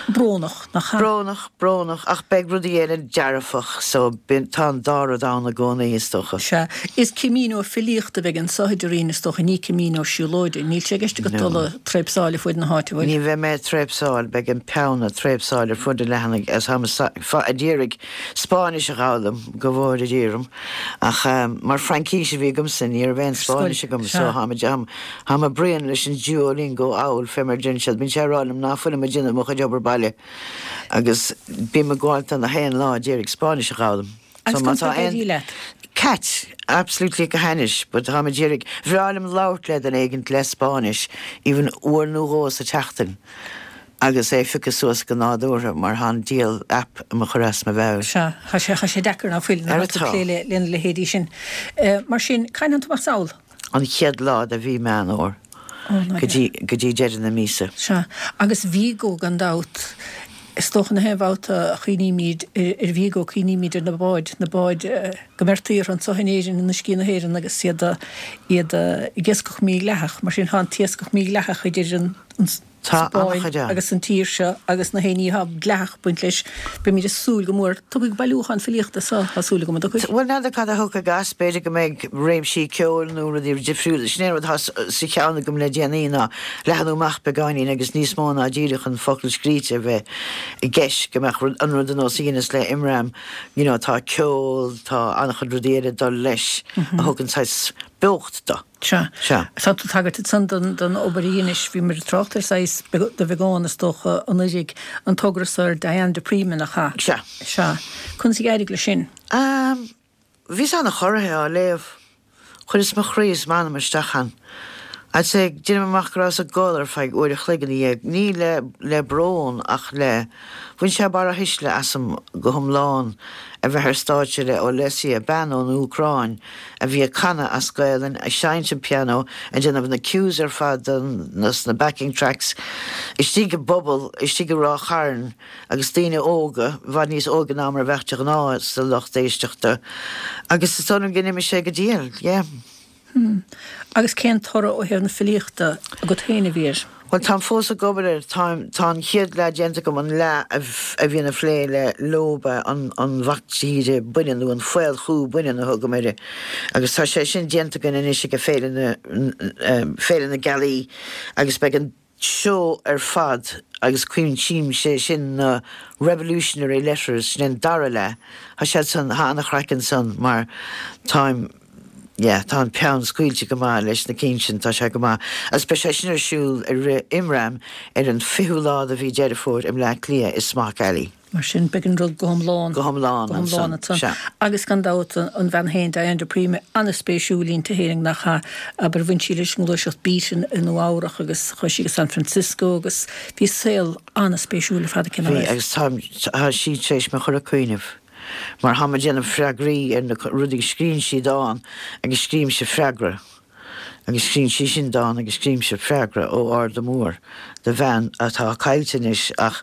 Brónach, nach ea? Brónach, brónach, ach beidh rudaí eile dearfach, so bíonn, tá an dá rud ann i gcónaí, is dócha. Sea. Is Camino filíochta a bheidh anso a Doreen, is dócha, ní Camino siúlóide. Níl sé i gceist agat dul ag tréapsáil ar fuaid na háite, an bhfuil? Ní bheidh mé ag tréapsáil, beidh an peann ag tréapsáil ar fud an leathanaigh, as táim ag iarraidh Spáinnis a dh'fhoghlaim, go bhfóire Dia orm, ach mar Fraincis a bhí agamsa, ní raibh aon Spáinnis agam, so táim ag, táim ag bruíon leis an Duolingo anall fé mar deireann siad, bíonn sé ag rá liom ná fuilim ag déanamh mo chuid obair baile agus bím ag gabháil do na haon lá ag iarraidh Spáinnis a dh'fhoghlaim. Agus So má conas tá tá ag aon éirí leat? Cat, absolutely go hainnis, but táim ag iarraidh, bhreá liom labhairt le duine éigint le Spáinnis, even uair nó dhó sa tseachtain agus é a phiocadh suas go nádúrtha mar tá an diabhal app i mo chur as mo mheabhair. Sea, tá sé, tá sé deacair ná fuil, Ar nuair atá tú atá. ag plé le, lena leithéidí sin. Mar sin, cathain a théann tú amach sall? An chéad lá de mhí Meán Fhómhair go dtí, go dtí deireadh na míosa. Sea, agus Vigo gan dabht. Is dócha na haon bhabhta a chuimhnímid ar Vigo, cuimhnímid ar na báid, na báid go mbeirtí orthu anso in Éirinn, in uiscí na hÉireann agus iad, iad ag iascach mídhleathach. Mar sin, tá an t-iascach mídhleathach idir an, an Tá Spáinn an-chuid ann. agus an tír seo agus na haon ní atá dleathach ag baint leis. Beimid ag súil go mór. Tiocfaidh bailiúchán filíochta so, tá súil agam an dtiocfaidh. Bhuel, n'fheadar cad a thiocfaidh as, b'fhéidir go mbeidh réimsí ceoil nó rudaí difriúla. Sin é an rud atá sa cheann agam le déanaí ná leathnú amach beagáinín agus níos mó ná díreach an focal scríte a bheith i gceist, go mbeadh an rud ar nós a dheineas le Imram, you know, tá ceol, tá an-chuid rudaí eile ag dul leis a thugann saghas beocht dó. Sea. Sea. Tá tú ag tagairt ansan don, don obair a dheinis, bhíomar ag trácht air saghas de bheagán is dócha anuraidh, an togra so ar Diane de Prima nach ea? Sea. Sea. Conas a d'éirigh leis sin? Um, bhíos an-chorraithe á léamh. Chuireas mo chroí is m'anam isteach ann. I'd say, déanaim amach go rabhas ag gol ar feadh uair a chloig ina dhiaidh, ní le, le brón ach le, bhain sé barra thuisle asam go hiomlán a bheith ar stáitse le Olesia, bean ón Úcráin a bhí ag canadh as Gaelainn, ag seinnt an pianó, ag déanamh na cues ar fad don, na backing tracks, istigh i bpuball, istigh i Ráth Chairn agus daoine óga, i bhfad níos óige ná mar a bheadh de ghnáth sa lucht éisteachta. Agus is dóigh liom go n-imigh sé go diail, yeah. Hmm. Agus cén toradh ó thaobh na filíochta agat féin a bhí air? Bhuel, táim fós ag obair air. Táim, tá an chéad leath déanta agam, an leath a bhíonn ag plé le Lioba, an, an mhac tíre baineann nó an faolchú baineann a thugaim air. Agus tá sé sin déanta againn anois ag Féile na, Féile na Gealaí agus beidh an seó ar fad agus cuimsíonn sé sin na Revolutionary Letters, sin an dara leath. Tá siad san, tá an-chraic ansan mar táim, yeah, tá an peann scaoilte go maith leis na cinn sin, tá sé go maith. Agus beidh sé sin ar siúl i rith Imram ar an fichiú lá de mhí Deireadh Fómhair i mBleá Cliath i Smock Alley. Mar sin, beidh an rud go hiomlán. Go hiomlán Go hiomlán ansan, ansan. sea. Agus gan dabht an bhean féin, Diane de Prima, an-spéisiúil inti féin, nach ea? Abair, bhain sí leis an ngluaiseacht Beat in i Nua Eabhrach agus chuaigh sí go San Francisco agus bhí saol an-spéisiúil ar fad aici, nach Bhí, raibh? agus táim, tá sí tar éis mé chur ag cuimhneamh. Mar táim ag déanamh freagraí ar na rudaí, scríonn sí dán agus scrímse freagra. Agus scríonn sí sin dán agus scrímse freagra ó Arda Mór do bhean atá caillte anois ach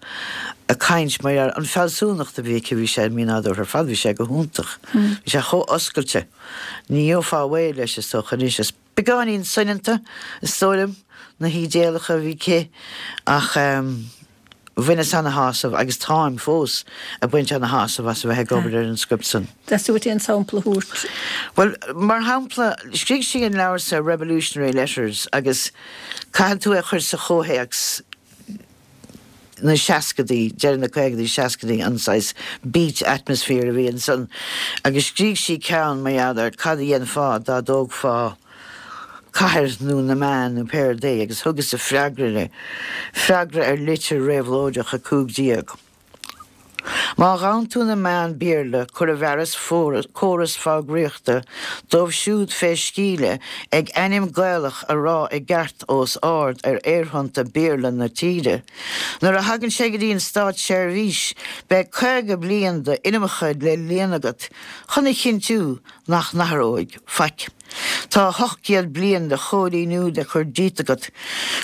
ag caint mar ar an fealsúnacht a bhí aici bhí sé mínádúrtha ar fad, bhí sé go hiontach. Bhí sé chomh oscailte. Ní gheofá réidh leis is dócha anois is beagáinín soineanta is dóigh liom na hídéalacha a bhí aici ach bhaineas ana-shásamh agus táim fós ag baint ana-shásamh as a bheith ag obair ar an script san. Theastaigh uait aon sampla a thabhairt? Bhuel, mar shampla, scrígh sí an leabhar sa Revolutionary Letters agus caithfidh tú é a chur sa chomhthéacs na seascadaí, deireadh na caogadaí, seascadaí, an saghas beat atmosphere a bhí ansan agus scrígh sí ceann mar gheall ar cad a dhéanfá dá dtógfá cathair nó na meáin nó pé rud é agus thugas a freagra le freagra ar litir réabhlóideach a cúig déag. Má ghabhann tú na meáin Béarla cuir i bhfearas córas fógraíochta dóibh siúd fé sceimhle ag ainm Gaelach a rá i gceart os ard ar aerthonnta Béarla na tíre. Nuair a thagann sé go dtí an státseirbhís beidh caoga bliain d'inimeacha le líonadh agat chun a chinntiú nach n-athróidh faic. Tá ocht gcéad bliain de choilíniú le cur díot agat,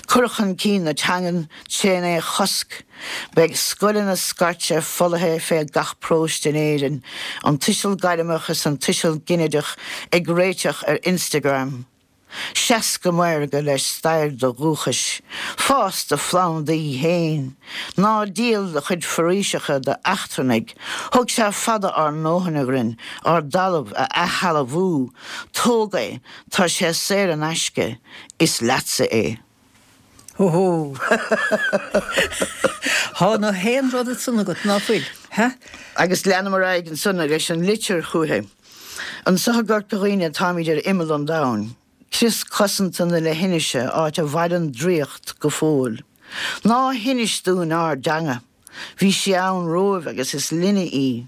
cur chun cinn na teangan tréna é a chosc. Beidh scoileanna scairte folaithe fé gach paróiste in Éirinn, an tuiseal gairmeach is an tuiseal ginideach ag réiteach ar Instagram. Seas go maorga le stair do dhúchais, fás do phlandaí féin, ná díol do chuid foraoiseacha d'eachtrannaigh, thóg sé fada ár ndóthain againn ár dtalamh a athshealbhú, tóg é, tá sé saor in aisce, is leatsa é. Hó hó! Thá na haon rud ansan agat, ná fuil? He? Agus leanaim ar aghaidh ansan leis an litir chúichi. Anso i gCorca Dhuibhne táimid ar imeall an domhain. Crios cosanta na leithinise, áit a mhaireann draíocht go fóill. Ná hinis dúinn ár dteanga. Bhí sí ann romhaibh agus is linne í.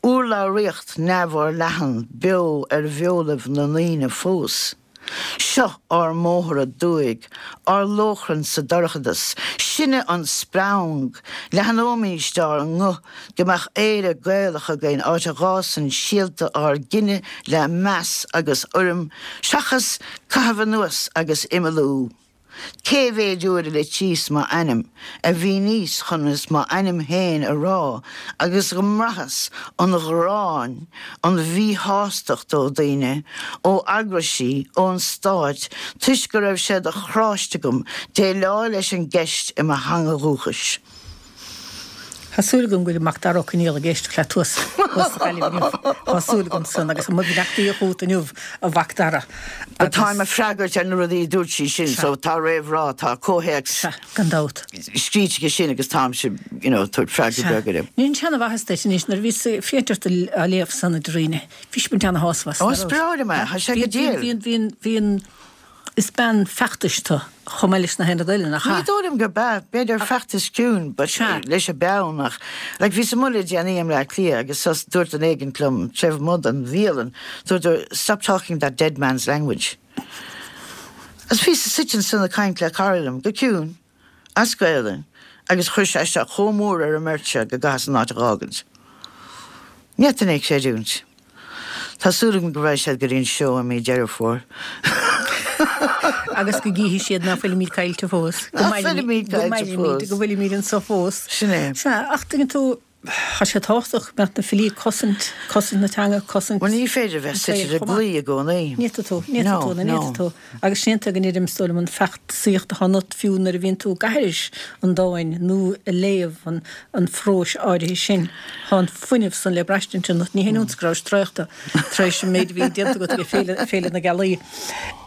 Urlabhraíocht neamhfhorleathan beo ar bheolaibh na ndaoine fós. Seo ár mbóthar aduaidh, ár lóchrann sa dorchadas. Sinne an spreang. Leathnóimíst ár nguth go mbeadh Éire Gaelach againn, áit a bhfásann síolta ár gcine le meas agus urraim, seachas caitheamh anuas agus imeallú. Cé mhéid uair a litríos m'ainm, a mhíníos chonas m'ainm féin a rá agus go mbraitheas an ghráin, an mhíshástacht ó dhaoine, ó eagraisí, ón stáit, toisc go raibh sé de chráiste agam déileáil leis an gceist i mo theanga dhúchais. Tá súil agam go bhfuil Macdara Ó Conaola ag éisteacht leat thuas sa Ghaillimh inniu. Tá súil agam san agus mo bheannachtaí chugat inniu a Mhacdara. But táim ag freagairt ar na rudaí a dúirt sí sin so tá réamhrá, tá comhthéacs. Sea, gan dabht. Scríte aige sin agus táimse, you know, tabhairt freagra beag air. Ní an mhaitheas duit anois nuair a bhíos ag féachaint ort á léamh san a Dairíne, bhí sibh ana-shásamh as. Ó, is breá liom é, tá sé go diail. Bhíonn, bhíonn, bhíonn, is bean feachtais tú chomh maith leis na haon rud eile, nach Ní ea? dóigh liom gurb ea, b'fhéidir feachtas ciúin, but Sea. leis an bpeann ach, like, bhíos amuigh le déanaí i mBleá Cliath agus sos dúirt duine éigint liom, taobh amuigh den bhialann, dúirt, stop talking that dead man's language. Agus bhíos suite ansan ag caint le cara liom, go ciúin, as Gaelainn, agus chuir sé isteach chomh mór ar an mbeirt seo go gcaitheas an áit a dh'fhágaint. Ní fhéadfainn é a chreidiúint. Tá súil agam go raghaidh siad go dtí an seó i mí Deireadh Fómhair. Agus go gcífidh siad ná fuilimid caillte fós. Go Ná fuilimid go caillte mairimid, fós. go bhfuilimid anso fós. Sin é. Sea, ach tuigeann tú, tá sé tábhachtach go mbeadh na filí ag cosaint, cosaint na teanga, cosaint Bhuel ní féidir a bheith an suite tsaoil i chomh maith. gclaí i gcónaí. Ní fhéadfaidh tú, ní fhéadfaidh No, tú, ní no. fhéadfaidh tú. Agus séanta go ndeirim is dóigh liom an feachtasaíocht atá ionat fiú nuair a bhíonn tú ag aithris an dáin nó ag léamh an, an phróis áirithe sin. Tá an fuinneamh san le braistint ionat. Ní haon iontas go rabhais traochta tar éis an méid a bhí déanta agat ag Féile, Féile na Gealaí.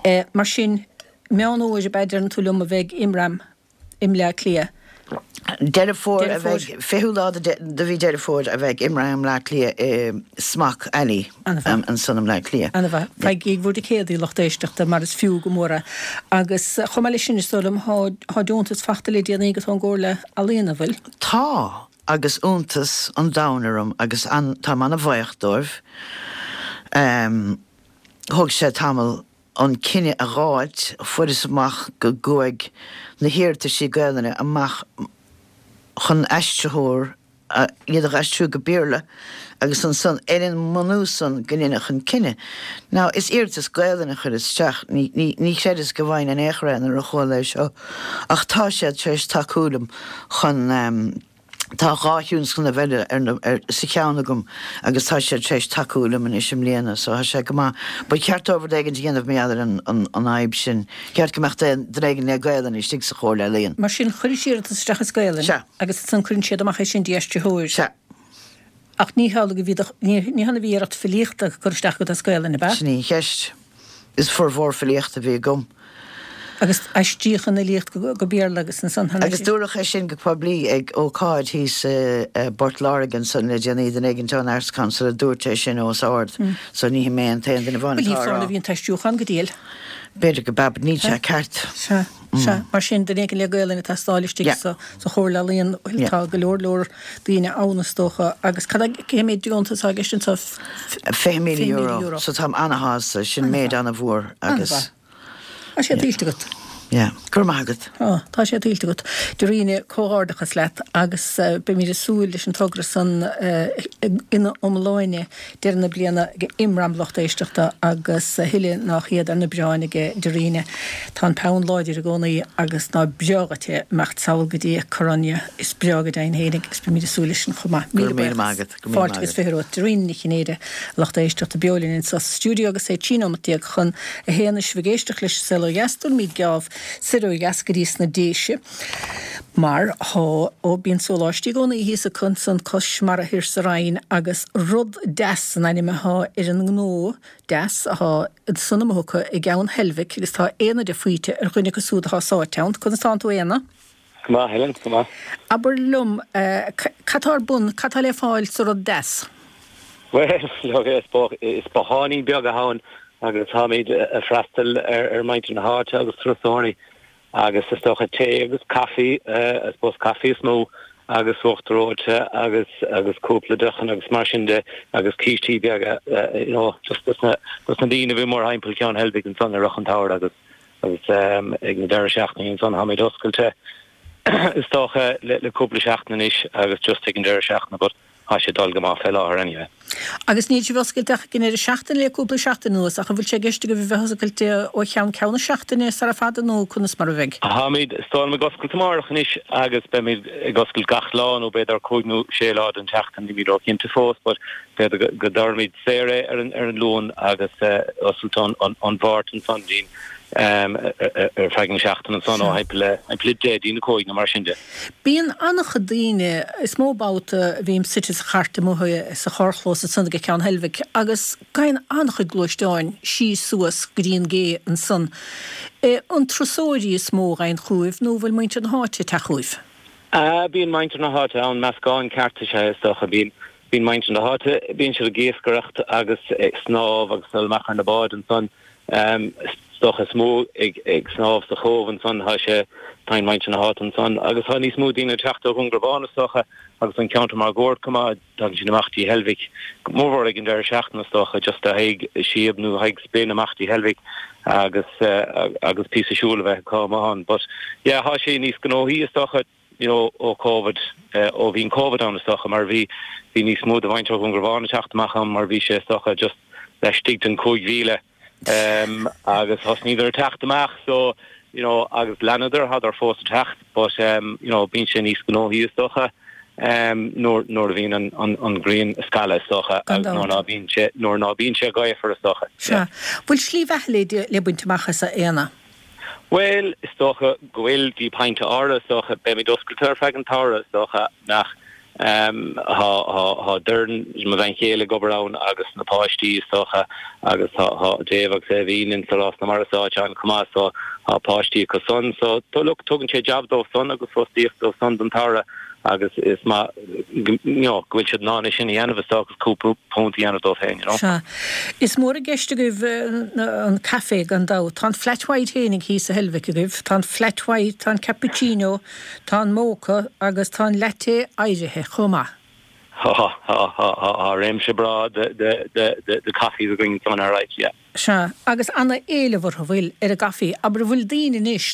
Eh, mar sin, Meán Fhómhair ab ea deireann tú liom a bheidh Imram i mBleá Cliath. Deireadh Fómhair a Deireadh bheidh, Fómhair. fichiú lá de de mhí Deireadh Fómhair a bheidh Imram i mBleá Cliath i Smock Alley Ana-mhaith. ansan i mBleá Cliath. Ana-mhaith. Faighigí bhur dticéadaí lucht éisteachta mar is fiú go mór é. Agus chomh maith leis sin is dóigh liom thá thá deontas fachta le déanaí agat ón gComhairle Ealaíon, an bhfuil? Tá, agus iontas an domhain orm agus an táim ana-bhuíoch dóibh. Thóg sé tamall an cinneadh a dh'fháilt, fuaireas amach go gcuaigh na hiarrataisí Gaelainne amach chun aistritheoir iad a dh'aistriú go Béarla agus ansan ar an mbunús san go ndéanfadh an cinneadh. Now is iarratas Gaelainne a chuireas isteach, ní, ní, ní chreideas go bhfaighinn in aon chor é nuair a chuala é seo ach tá siad tar éis tacú liom chun, Tá dhá thionscnamh eile ar na, ar, sa cheann agam agus tá siad tar éis tacú liom anois i mbliana so tá sé go maith. Ba cheart dóibh rud éigin a dhéanamh mar gheall ar an, an, an fhadhb sin. Ceart go mbeadh duine éigin le Gaelainn istigh sa Chomhairle Ealaíon. Mar sin, chuiris iarratas isteach as Gaelainn Sea. agus ansan cuireann siad amach é sin d'aistritheoir. Sea. Ach ní hamhlaidh a bhí do, ní, ní hann a bhí iarracht filíochta curtha isteach agat as Gaelainn, ab ea? Sin í an cheist. Is formhór filíochta a bhí agam. Agus aistríodh an fhilíocht go Béarla agus ansan tháinig. Agus dúradh é sin go poiblí ag ócáid thíos i bPort Láirge ansan le déanaí, duine éigin ón Arts Council a dúirt é sin os ard, so ní hé mé an t-aon duine amháin Bhuel, ní atá á fáil rá. a bhí an t-aistriúchán go diail. B'fhéidir go b'ea, but níl sé ceart. Sea, sea. Mar sin, duine éigin le Gaelainn ag teastáil istigh Yeah. sa sa Chomhairle Ealaíon, bhuel, Yeah. tá go leor leor daoine ann is dócha. Agus cad é, cé méid deontas atá i gceist anseo? Fiche míle Fiche míle euro. euro. So táim ana-shásta, sin méid ana-mhór agus. Ana-mhaith. Tá sé tuillte agat. yeah. Go raibh maith agat. Ó, tá sé tuillte agat. Doireann, comhghairdeachas leat agus beimid ag súil leis an togra san ina iomláine deireadh na bliana ag imram lucht éisteachta agus a thuilleadh ná hiad ar na bioráin ag Doireann. Tá an peann láidir i gcónaí agus ná breá dhuit é imeacht sall go dtí Coruña. Is breá go deimhin fhéinig agus beimid ag súil leis sin chomh maith. Go raibh míle maith agat. Go raibh míle Fáilte maith agus agat. fiche romhat. Doireann Ní Chinnéide, lucht éisteachta beo linn anseo sa stiúideo agus é trí nóiméad déag chun a haon is sibh ag éisteacht leis an Saol Ó Dheas, tabharfaimid geábh soir ó dheas go dtí sna Déise mar thá ó bíonn sóláistí i gcónaí thíos acu ansan cois mara thiar sa Rinn agus Rud Deas an ainm athá ar an ngnó deas athá ansan amuigh acu i gCeann Heilbhic agus tá Éanna de Faoite ar dhuine acu súd athá sáite ann. Conas tánn tú Éanna? Go maith Helen, go maith. Abair liom cad tá ar bun, cad tá le fáil sa Rud Deas? Well, look, is is botháinín beag atá ann agus táimid ag freastal ar ar muintir na háite agus turasóirí agus is dócha tae agus caife I suppose caife is mó agus uachtar reoite agus agus cúpla deochan agus mar sin de agus cístí beaga you know just dos na dos na daoine a bhí mórthimpeall Ceann Heilbhic ansan i rith an tsamhraidh agus agus um, ag na deireadh seachtaine ansan táimid oscailte is dócha le le cúpla seachtain anois agus just ag an deireadh seachtaine but tá sé dul go maith fé láthair anyway. Agus níl sibh oscailte ach ag an deireadh seachtaine le cúpla seachtain anuas ach an bhfuil sé i gceist agaibh a bheith oscailte ó cheann ceann na seachtaine sara fada nó conas mar a bheidh? Táimid stáim ag oscailt amárach anois agus beimid ag oscailt gach lá nó b'fhéidir cúig nó sé lá den tseachtain nílimid róchinnte fós, but b'fhéidir go dtabharfaimid saor é ar an ar an Luan agus uh, oscailt an an an Mháirt ansan dínn um, ar feadh na seachtaine ansan ó thimpeall le thimpeall le deich dtí na cúig nó mar sin de. Bíonn an-chuid daoine is mó babhta a bhím suite sa chairt amuigh sa charrchlós ansan ag Ceann Heilbhic agus gabhann an-chuid gluaisteáin síos suas go dtí an gcé ansan. E, an turasóirí is mó a ghabhann chugaibh nó bhfuil muintir na háite ag teacht chugaibh? Uh, bíonn muintir na háite ann meascán ceart is ea is dócha bíonn bíonn muintir na háite bíonn siad ag iascaireacht agus ag snámh agus dul amach ar na báid ansan um, is dócha is mó ag ag snámh sa chóbh ansan tá sé tá muintir na háite ansan agus tá níos mó daoine ag teacht ó Dhún Garbhán is dócha agus an ceantar máguaird chomh maith tagann siad amach dtí Heilbhic mórmhór ag an deireadh seachtaine is dócha just a haghaidh síob nó haghaidh spin amach dtí Heilbhic agus uh, agus píosa siúil a bheith acu amach ann but yeah tá sé níos gnóthaí is dócha you know ó COVID uh, ó bhí COVID ann is dócha mar bhí bhí níos mó de mhuintir Dhún Garbhán ag teacht amach ann mar bhí sé is dócha just laistigh den cúig mhíle um, agus thosnaíodar ag teacht amach so you know agus leanadar thádar fós ag teacht but um, you know bíonn sé níos gnóthaí is dócha um, nuair nuair a bhíonn an, an, an ghrian ag scaladh is dócha Gan agus nuair ná bíonn sé nuair ná bíonn sé gaofar is dócha. Sea. Bhfuil slí bheatha le le baint amach as a Éanna? Well is dócha go bhfuil dtí pointe áirithe is dócha beimid oscailte ar feadh an tsamhraidh is dócha nach um, thá thá Doireann mo bhean chéile ag obair ann agus na páistí is dócha agus tá tá Dave agus Evín in Rás na Mara sáite an chomh maith so tá páistí acu san so tó look tugann sé job dóibh san agus fostaíocht dóibh san don tsamhradh agus is maith you know, go bhfuil siad in ann sin a dhéanamh is dócha cúpla punt a dhéanamh dóibh féin you know. Sea. Is mór i gceist agaibh an caife gan dabht. Tá an flat white fhéinig thíos sa Heilbhic agaibh, tá an flat white, tá an cappuccino, tá an mocha agus tá an latte áirithe chomh maith. Tá tá tá tá réimse breá de de de de de caife againn san ar right yeah. Sea, agus an-éileamh orthu bhfuil ar an gcaife, abair bhfuil daoine anois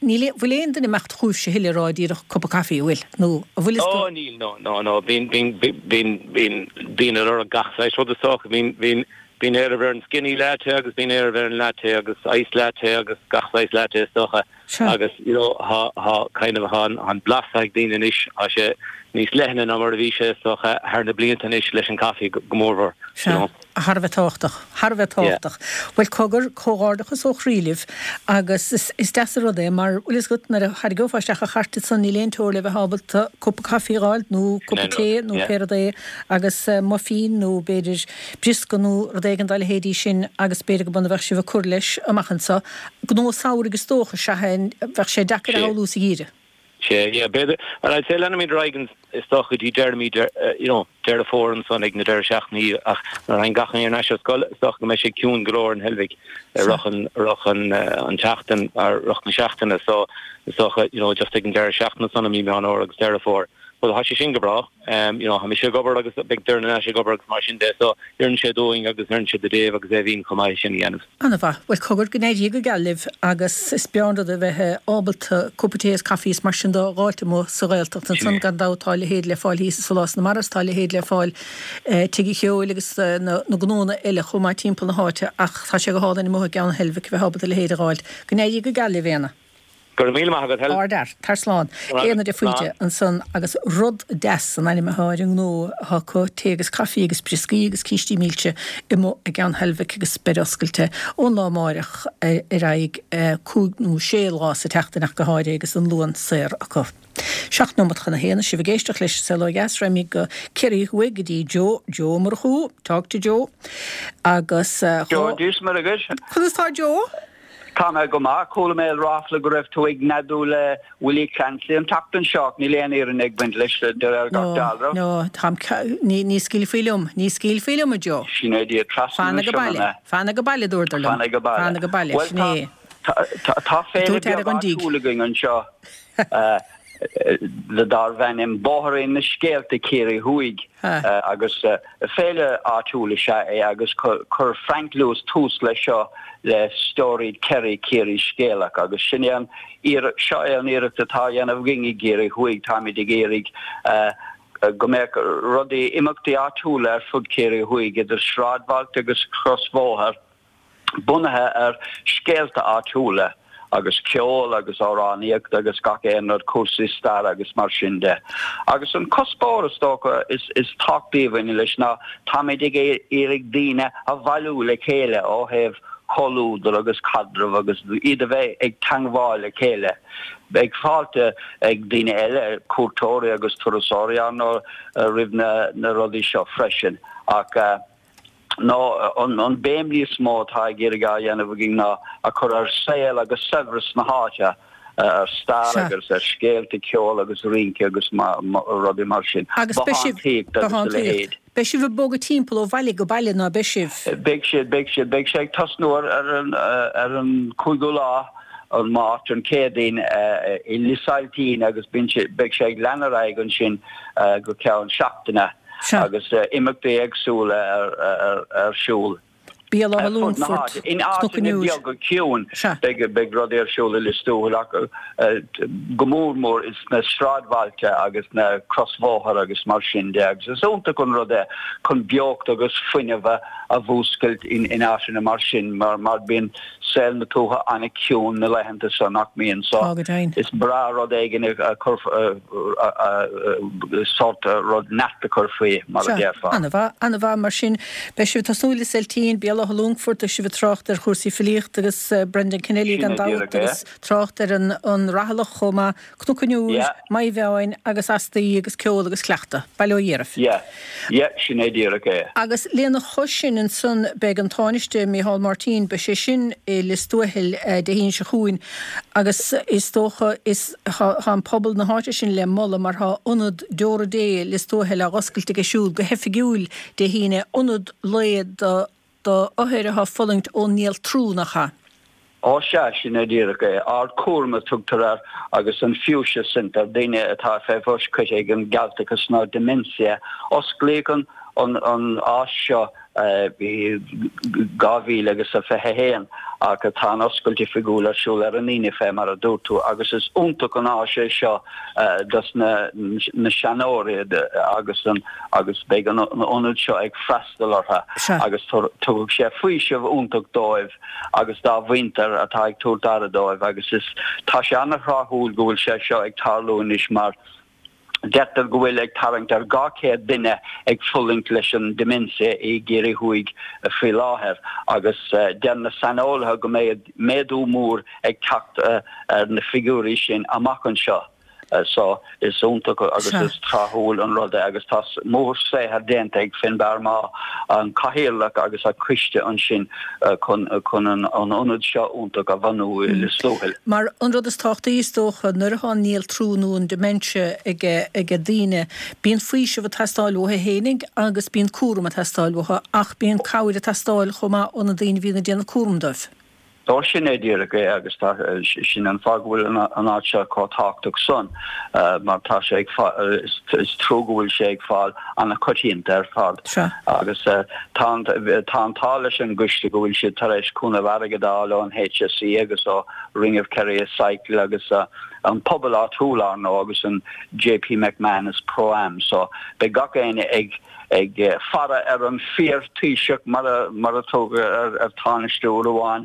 níl bhfuil aon duine imeacht chugaibhse a thuilleadh rá díreach cupa caife bhfuil nó a bhfuil is Oh níl no no no bíonn bíonn bíonn bíonn daoine ag lorg gach saghas rud is dócha bíonn bíonn bíonn éileamh ar an skinny latte agus bíonn éileamh ar an latte agus ice latte agus gach saghas latte is dócha Sea. agus you know thá thá kind of thá an blas ag daoine anois tá sé níos leithne ná mar a bhí sé is dócha thar na blianta anois leis an caife go go mórmhór you Sea, know. thar a bheith tábhachtach, thar a bheith tábhachtach. Bhuel cogar comhghairdeachas ó chroí libh agus is, is deas an rud é mar bhfuil fhios agat nuair a tharraingeofá isteach an chairt san níl aon teora le bheith ábalta cupa caife a fháil nó cupa tae nó yeah. pé rud é agus uh, muffin nó b'fhéidir briosca nó rud éigin dá leithéidí sin agus b'fhéidir go bhfuil bheadh sibh ag cur leis amach anseo. Gnó samhraidh is dócha sea bheadh sé deacair Sé. a shamhlú sa gheimhreadh. Sé yeah b'fhéidir well I'd say leanfaimid ar aghaidh is dócha dtí deireadh mí uh, you know Deireadh Fómhair ansan ag na deireadh seachtainí ach nuair a thagann gach éinne ar ais ar scoil is dócha go mbeidh sé ciúin go leor in Heilbhic Sea. rith an rith an uh, an tseachtain ar rith na seachtaine so is dócha you know just ag an deireadh seachtaine san i mí Meán Fómhair agus Deireadh Fómhair Well tá sé sin go breá um, you know, tá mise ag obair agus beidh Doireann ag obair agus mar sin de so oireann sé dúinn agus oireann sé do Dave agus Aoibhín chomh maith sin a dhéanamh. An-mhaith, bhuel cogar go n-éirí go geal libh agus is breá an rud a bheith ábalta cúpla tae is caife is mar sin de a dh'fháilt amuigh sa Ghaeltacht ansan gan dabht tá a leithéid le fáil thíos i Sólás na Mara is tá a leithéid le fáil Tigh an Cheoil agus na gnónna eile chomh maith timpeall na háite ach tá sé go hálainn amuigh i gCeann Heilbhic a bheith ábalta a leithéid a dh'fháilt. Go n-éirí go geal libh Éanna. Go raibh míle maith agat, Helen. Ardfhear. Tar slán. Éanna de Faoite ansan agus Rud Deas an ainm atá ar an ngnó atá acu, tae agus caife agus brioscaí agus cístí milse amuigh i gCeann Heilbhic agus beidh oscailte ón lá amáireach ar aghaidh cúig nó sé lá sa tseachtain ach go háirithe agus an Luan saor acu. Seacht nóimeat chun a haon, sibh ag éisteacht leis an Saol Ó Dheas, raghaimid go Ciarraí Thuaidh go dtí Joe, Joe Ó Murchú, talk to Joe agus dhá. Joe, Dia is Muire dhuit. Conas tá Joe? Tá mé go maith. Chuala mé ráfla go raibh tú ag neadú le Willie Clancy an tseachtain seo ach níl aon fhírinne ag baint leis de réir gach dealraimh. No, no, táim, ní, ní scaoilfí liom, ní scaoilfí liom, a Joe. Sin é Dia trasna Fan na ag baile, Sionainne. fan ag baile, dúradar liom. Fan ag baile. Fan ag baile, Bhuel, sin é. tá, tá, tá féile Dúirt aire beag an díg. áitiúil againn anseo le darb ainm Bóithrín na Scéalta Ciarraí Thuaidh agus féile áitiúil is ea é agus chuir Frank Lewis tús leis seo le Storied Kerry Ciarraí Scéalach agus sin é an seo é an iarracht atá á dhéanamh againn i gCiarraí Thuaidh táimid ag iarraidh go mbeadh rudaí imeachtaí áitiúla ar fud Ciarraí Thuaidh idir sráidbhailte agus crosbhóthar bunaithe ar scéalta áitiúla agus ceol agus amhránaíocht agus gach aon rud, cúrsaí staire agus mar sin de. Agus an cuspóir is dócha is is tábhachtaí a bhaineann leis ná táimid ag iarraidh daoine a bhailiú le chéile ó thaobh comhluadar agus caidreamh agus iad a bheith ag teangmháil le chéile. Beidh fáilte ag daoine eile, cuairteoirí agus turasóirí ar ndóigh roimh na na rudaí seo freisin ach nó an béim níos mó atá ag iarraidh á dhéanamh againn ná a chur ar saol agus saibhreas na háite, ar stair agus ar scéalta, ceol agus rince agus rudaí mar sin, Agus beidh sibh, bothántaíocht agus a leithéid. Beidh sibh ag bogadh timpeall ó bhaile go baile, ná beidh sibh? Beidh siad, beidh siad. Beidh sé ag tosnú ar an ar an cúigiú lá, an Máirt, an Chéadaoin, i Lios Ailtín agus beidh sé ag lean ar aghaidh ansin go ceann seachtaine. agus imeachtaí éagsúla ar siúl Béal Átha ar fud na Longfoirt, háite. In Cnoc an áiteanna Iúir. beaga ciúin Sea. beidh rudaí ar siúl i Lios Tuathail ach go mór mór sna sráidbhailte agus na crosbhóthair agus mar sin de agus is iontach an rud é chun beocht agus fuinneamh a mhúscailt in áiteanna mar sin mar bíonn saol na tuaithe an-chiúin na laethanta seo nach mbíonn so Tá go deimhin. is breá rud éigin a chur sórt rud neart a chur faoi mar a Sea, déarfá. an-mhaith, an-mhaith mar sin. Beidh sibh ag tosnú i Lios Ailtín, Béal Átha Longfoirt, beidh sibh ag trácht ar chúrsaí filíochta agus Brendan Kennelly Sin gan é dabht díreach é. agus trácht ar an an Rathalach chomh maith, Cnoc an Iúir, Yeah. Maigh Mheáin agus astaí agus ceol agus cleachtadh. Bail ó Dhia oraibh. Yeah, yeah, sin é díreach é. Agus lena chois sin ansan beidh an Tánaiste Micheál Martin, beidh sé sin i Lios Tuathail Dé hAoine seo chugainn agus is dócha is tá an pobal na háite sin le moladh mar tá Ionad Deora Dé Lios Tuathail á oscailt aige siúd go hoifigiúil Dé hAoine, ionad lae do do othair atá ag fulaingt ón néaltrú, nach ea? Ó sea, sin é díreach é. Ard Cúram a tugtar air agus an Fuchsia Centre, daoine atá fé bhois curtha ag an gcealtachas nó dementia. Osclaíodh an an an áis seo i dhá mhíle agus a fiche a haon ach tá an oscailt oifigiúil ar siúl ar an Aoine fé mar a dúirt tú agus is iontach an áis é seo dos na na seanóirí agus an agus beidh an ionad seo ag freastal orthu agus tabharfaidh sé faoiseamh iontach dóibh agus dá mhuintir atá ag tabhairt aire dóibh agus is tá sé an-thráthúil go bhfuil sé seo ag tarlú anois mar deirtear go bhfuil ag tarraingt ar dhá chéad duine ag fulaingt leis an dementia i gCiarraí Thuaidh faoi láthair agus deir na saineolaithe go mbeidh méadú mór ag teacht ar na figiúirí sin amach anseo. So is iontach agus is tráthúil an rud é agus tá mórshaothar déanta ag Finbarr Maugh, an cathaoirleach agus a choiste ansin chun chun an ionad seo iontach a bhunú i Lios Tuathail. Mar an rud is tábhachtaí is dócha nuair atá an néaltrú nó an dementia ag ag daoine, bíonn faoiseamh ag teastáil uathu fhéinig agus bíonn cúram ag teastáil uathu ach bíonn cabhair ag teastáil chomh maith ó na daoine a bhíonn ag déanamh cúram dóibh. Ó sin é díreach é agus tá sin an fáth go bhfuil an áit seo chomh tábhachtach san mar tá sé ag is trua go bhfuil sé ag fáil an-choitianta ar fad. Agus tá an tá an t-ádh leis an gcoiste go bhfuil siad tar éis cúnamh airgid a fháil ón HSE agus ó Ring of Kerry Cycle agus an pobal áitiúil ar ndóigh agus an JP McManus Pro-Am so beidh gach éinne ag ag faire ar an fíor-Thaoiseach mar a mar a tugadh ar ar Tánaiste uair amháin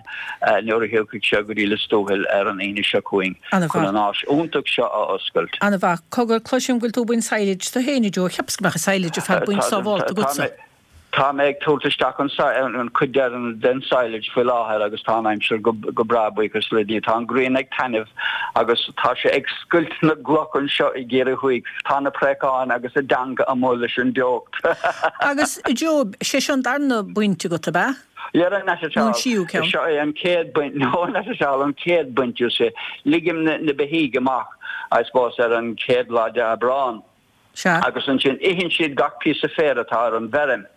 nuair a thiocfaidh sé go dtí Lios Tuathail ar an Aoine seo chugainn chun an áis iontach seo a oscailt. Ana-mhaith. Cogar, cloisim go bhfuil tú ag baint silage tú féin, a Joe. Cheapas go mbeadh an silage ar fad bainte sábhálta agatsa. Tá mé ag tabhairt isteach an chuid deireanach den silage faoi láthair agus tá an aimsir go breá, buíochas le Dia. Tá an ghrian ag taitneamh agus tá sé ag scoilt na gcloch anseo i gCiarraí Thuaidh. Tá na préacháin agus a dteanga amuigh leis an dteocht. Agus, Joe, sé seo an darna baint agat, ab ea? Yeah, not at Nó all. an tríú ceann? Seo é an chéad baint, no, not at all, an chéad baint, you see. Ligim na beithígh amach, I suppose, ar an chéad lá de Aibreán. Sea. Agus ansin itheann siad gach píosa féir atá ar an bhfeirm,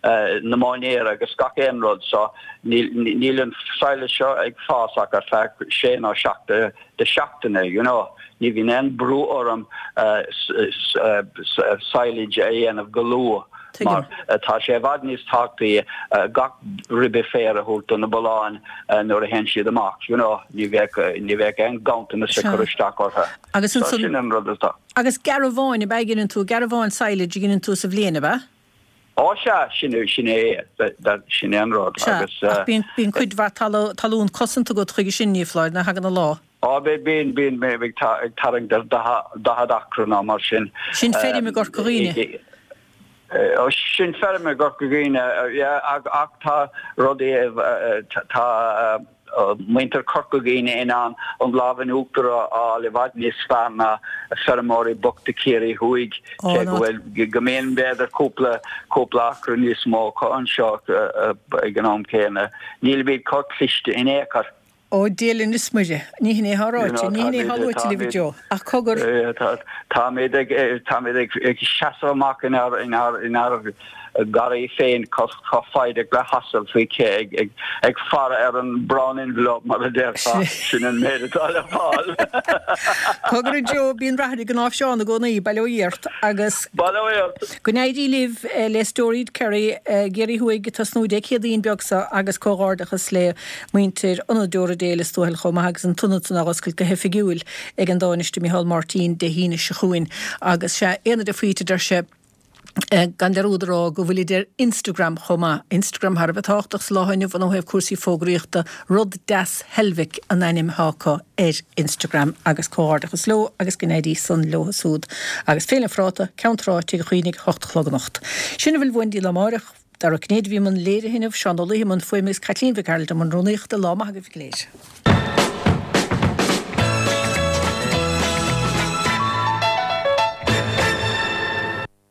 na móinéir agus gach aon rud so níl an silage seo ag fás ach ar feadh sé nó seacht de seachtaine, you know. Ní bhíonn aon brú orm silage a dhéanamh go luath mar tá sé i bhfad níos tábhachtaí gach ribe féir a thabhairt do na bulláin nuair a théann siad amach, you know. Ní bheadh ní bheadh aon ganntanas ag cur isteach orthu. Agus So sin an rud atá. Agus garbhán ab ea a ghineann tú, garbhán silage a ghineann tú sa bhliain, ab ea? Ó sea, sin é, sin é, sin é an rud. Sea, Agus. ach bíonn, bíonn cuid mhaith talún cosanta agat chuige sin, ní foláir, nuair a thagann an lá. Ó bíonn, bíonn mé ag tarraingt ar daichead acra nó mar sin. Sin feirm i gCorca Dhuibhne. Ó sin feirm i gCorca Dhuibhne, yeah, ach tá rudaí, tá, muintir Chorca Dhuibhne in ann an lámh in uachtar a fháil i bhfad níos fearr ná feirmeoirí bochta Chiarraí Thuaidh, cé go bhfuil, go mbíonn b'fhéidir cúpla, cúpla acra níos mó acu anseo ag an am céanna. Nílimid chomh cliste in aon chor. Ó, Dia linn is Muire. Ní hin é atá ráite, ní hin é atá luaite libh, a Joe, ach cogar. Táimid ag, táimid ag seasamh amach inár, inár, inár ngarraí féin chomh foighdeach le hasal faoi ché ag faire ar an brown envelope mar a déarfá, sin an méid atá le fáil. Cogar a Joe, bíonn rath ar an gcnáimhseán i gcónaí, bail ó Dhia ort agus Bail ó Dhia ort. Go n-éirí libh le Storied Kerry i gCiarraí Thuaidh ag tosnú Dé Céadaoin beag seo agus comhghairdeachas le muintir Ionad Deora Dé Lios Tuathail chomh maith agus an t-ionad san á oscailt go hoifigiúil ag an Tánaiste Micheál Martin Dé hAoine seo chugainn agus sea, aon rud faoi a deir sé. Gan dearúd a rá go bhfuilid ar Instagram chomh maith. Instagram thar a bheith tábhachtach sa lá inniu ó thaobh cúrsaí fógraíochta. Rud Deas Heilbhic an ainm atá acu ar Instagram agus comhghairdeachas leo agus go n-éirí san leo súd. Agus Féile an Phráta, Ceann Trá, Tigh an Chaonaigh, hocht a chlog anocht. Sin a bhfuil uainn go dtí lá amáireach. Dara Ó Cinnéide a bhí i mbun léirithe inniu, Seán Ó Laoithe i mbun fuaime agus Caitlín Mhic Gearailt i mbun rúnaíochta. Lá maith agaibh go léir.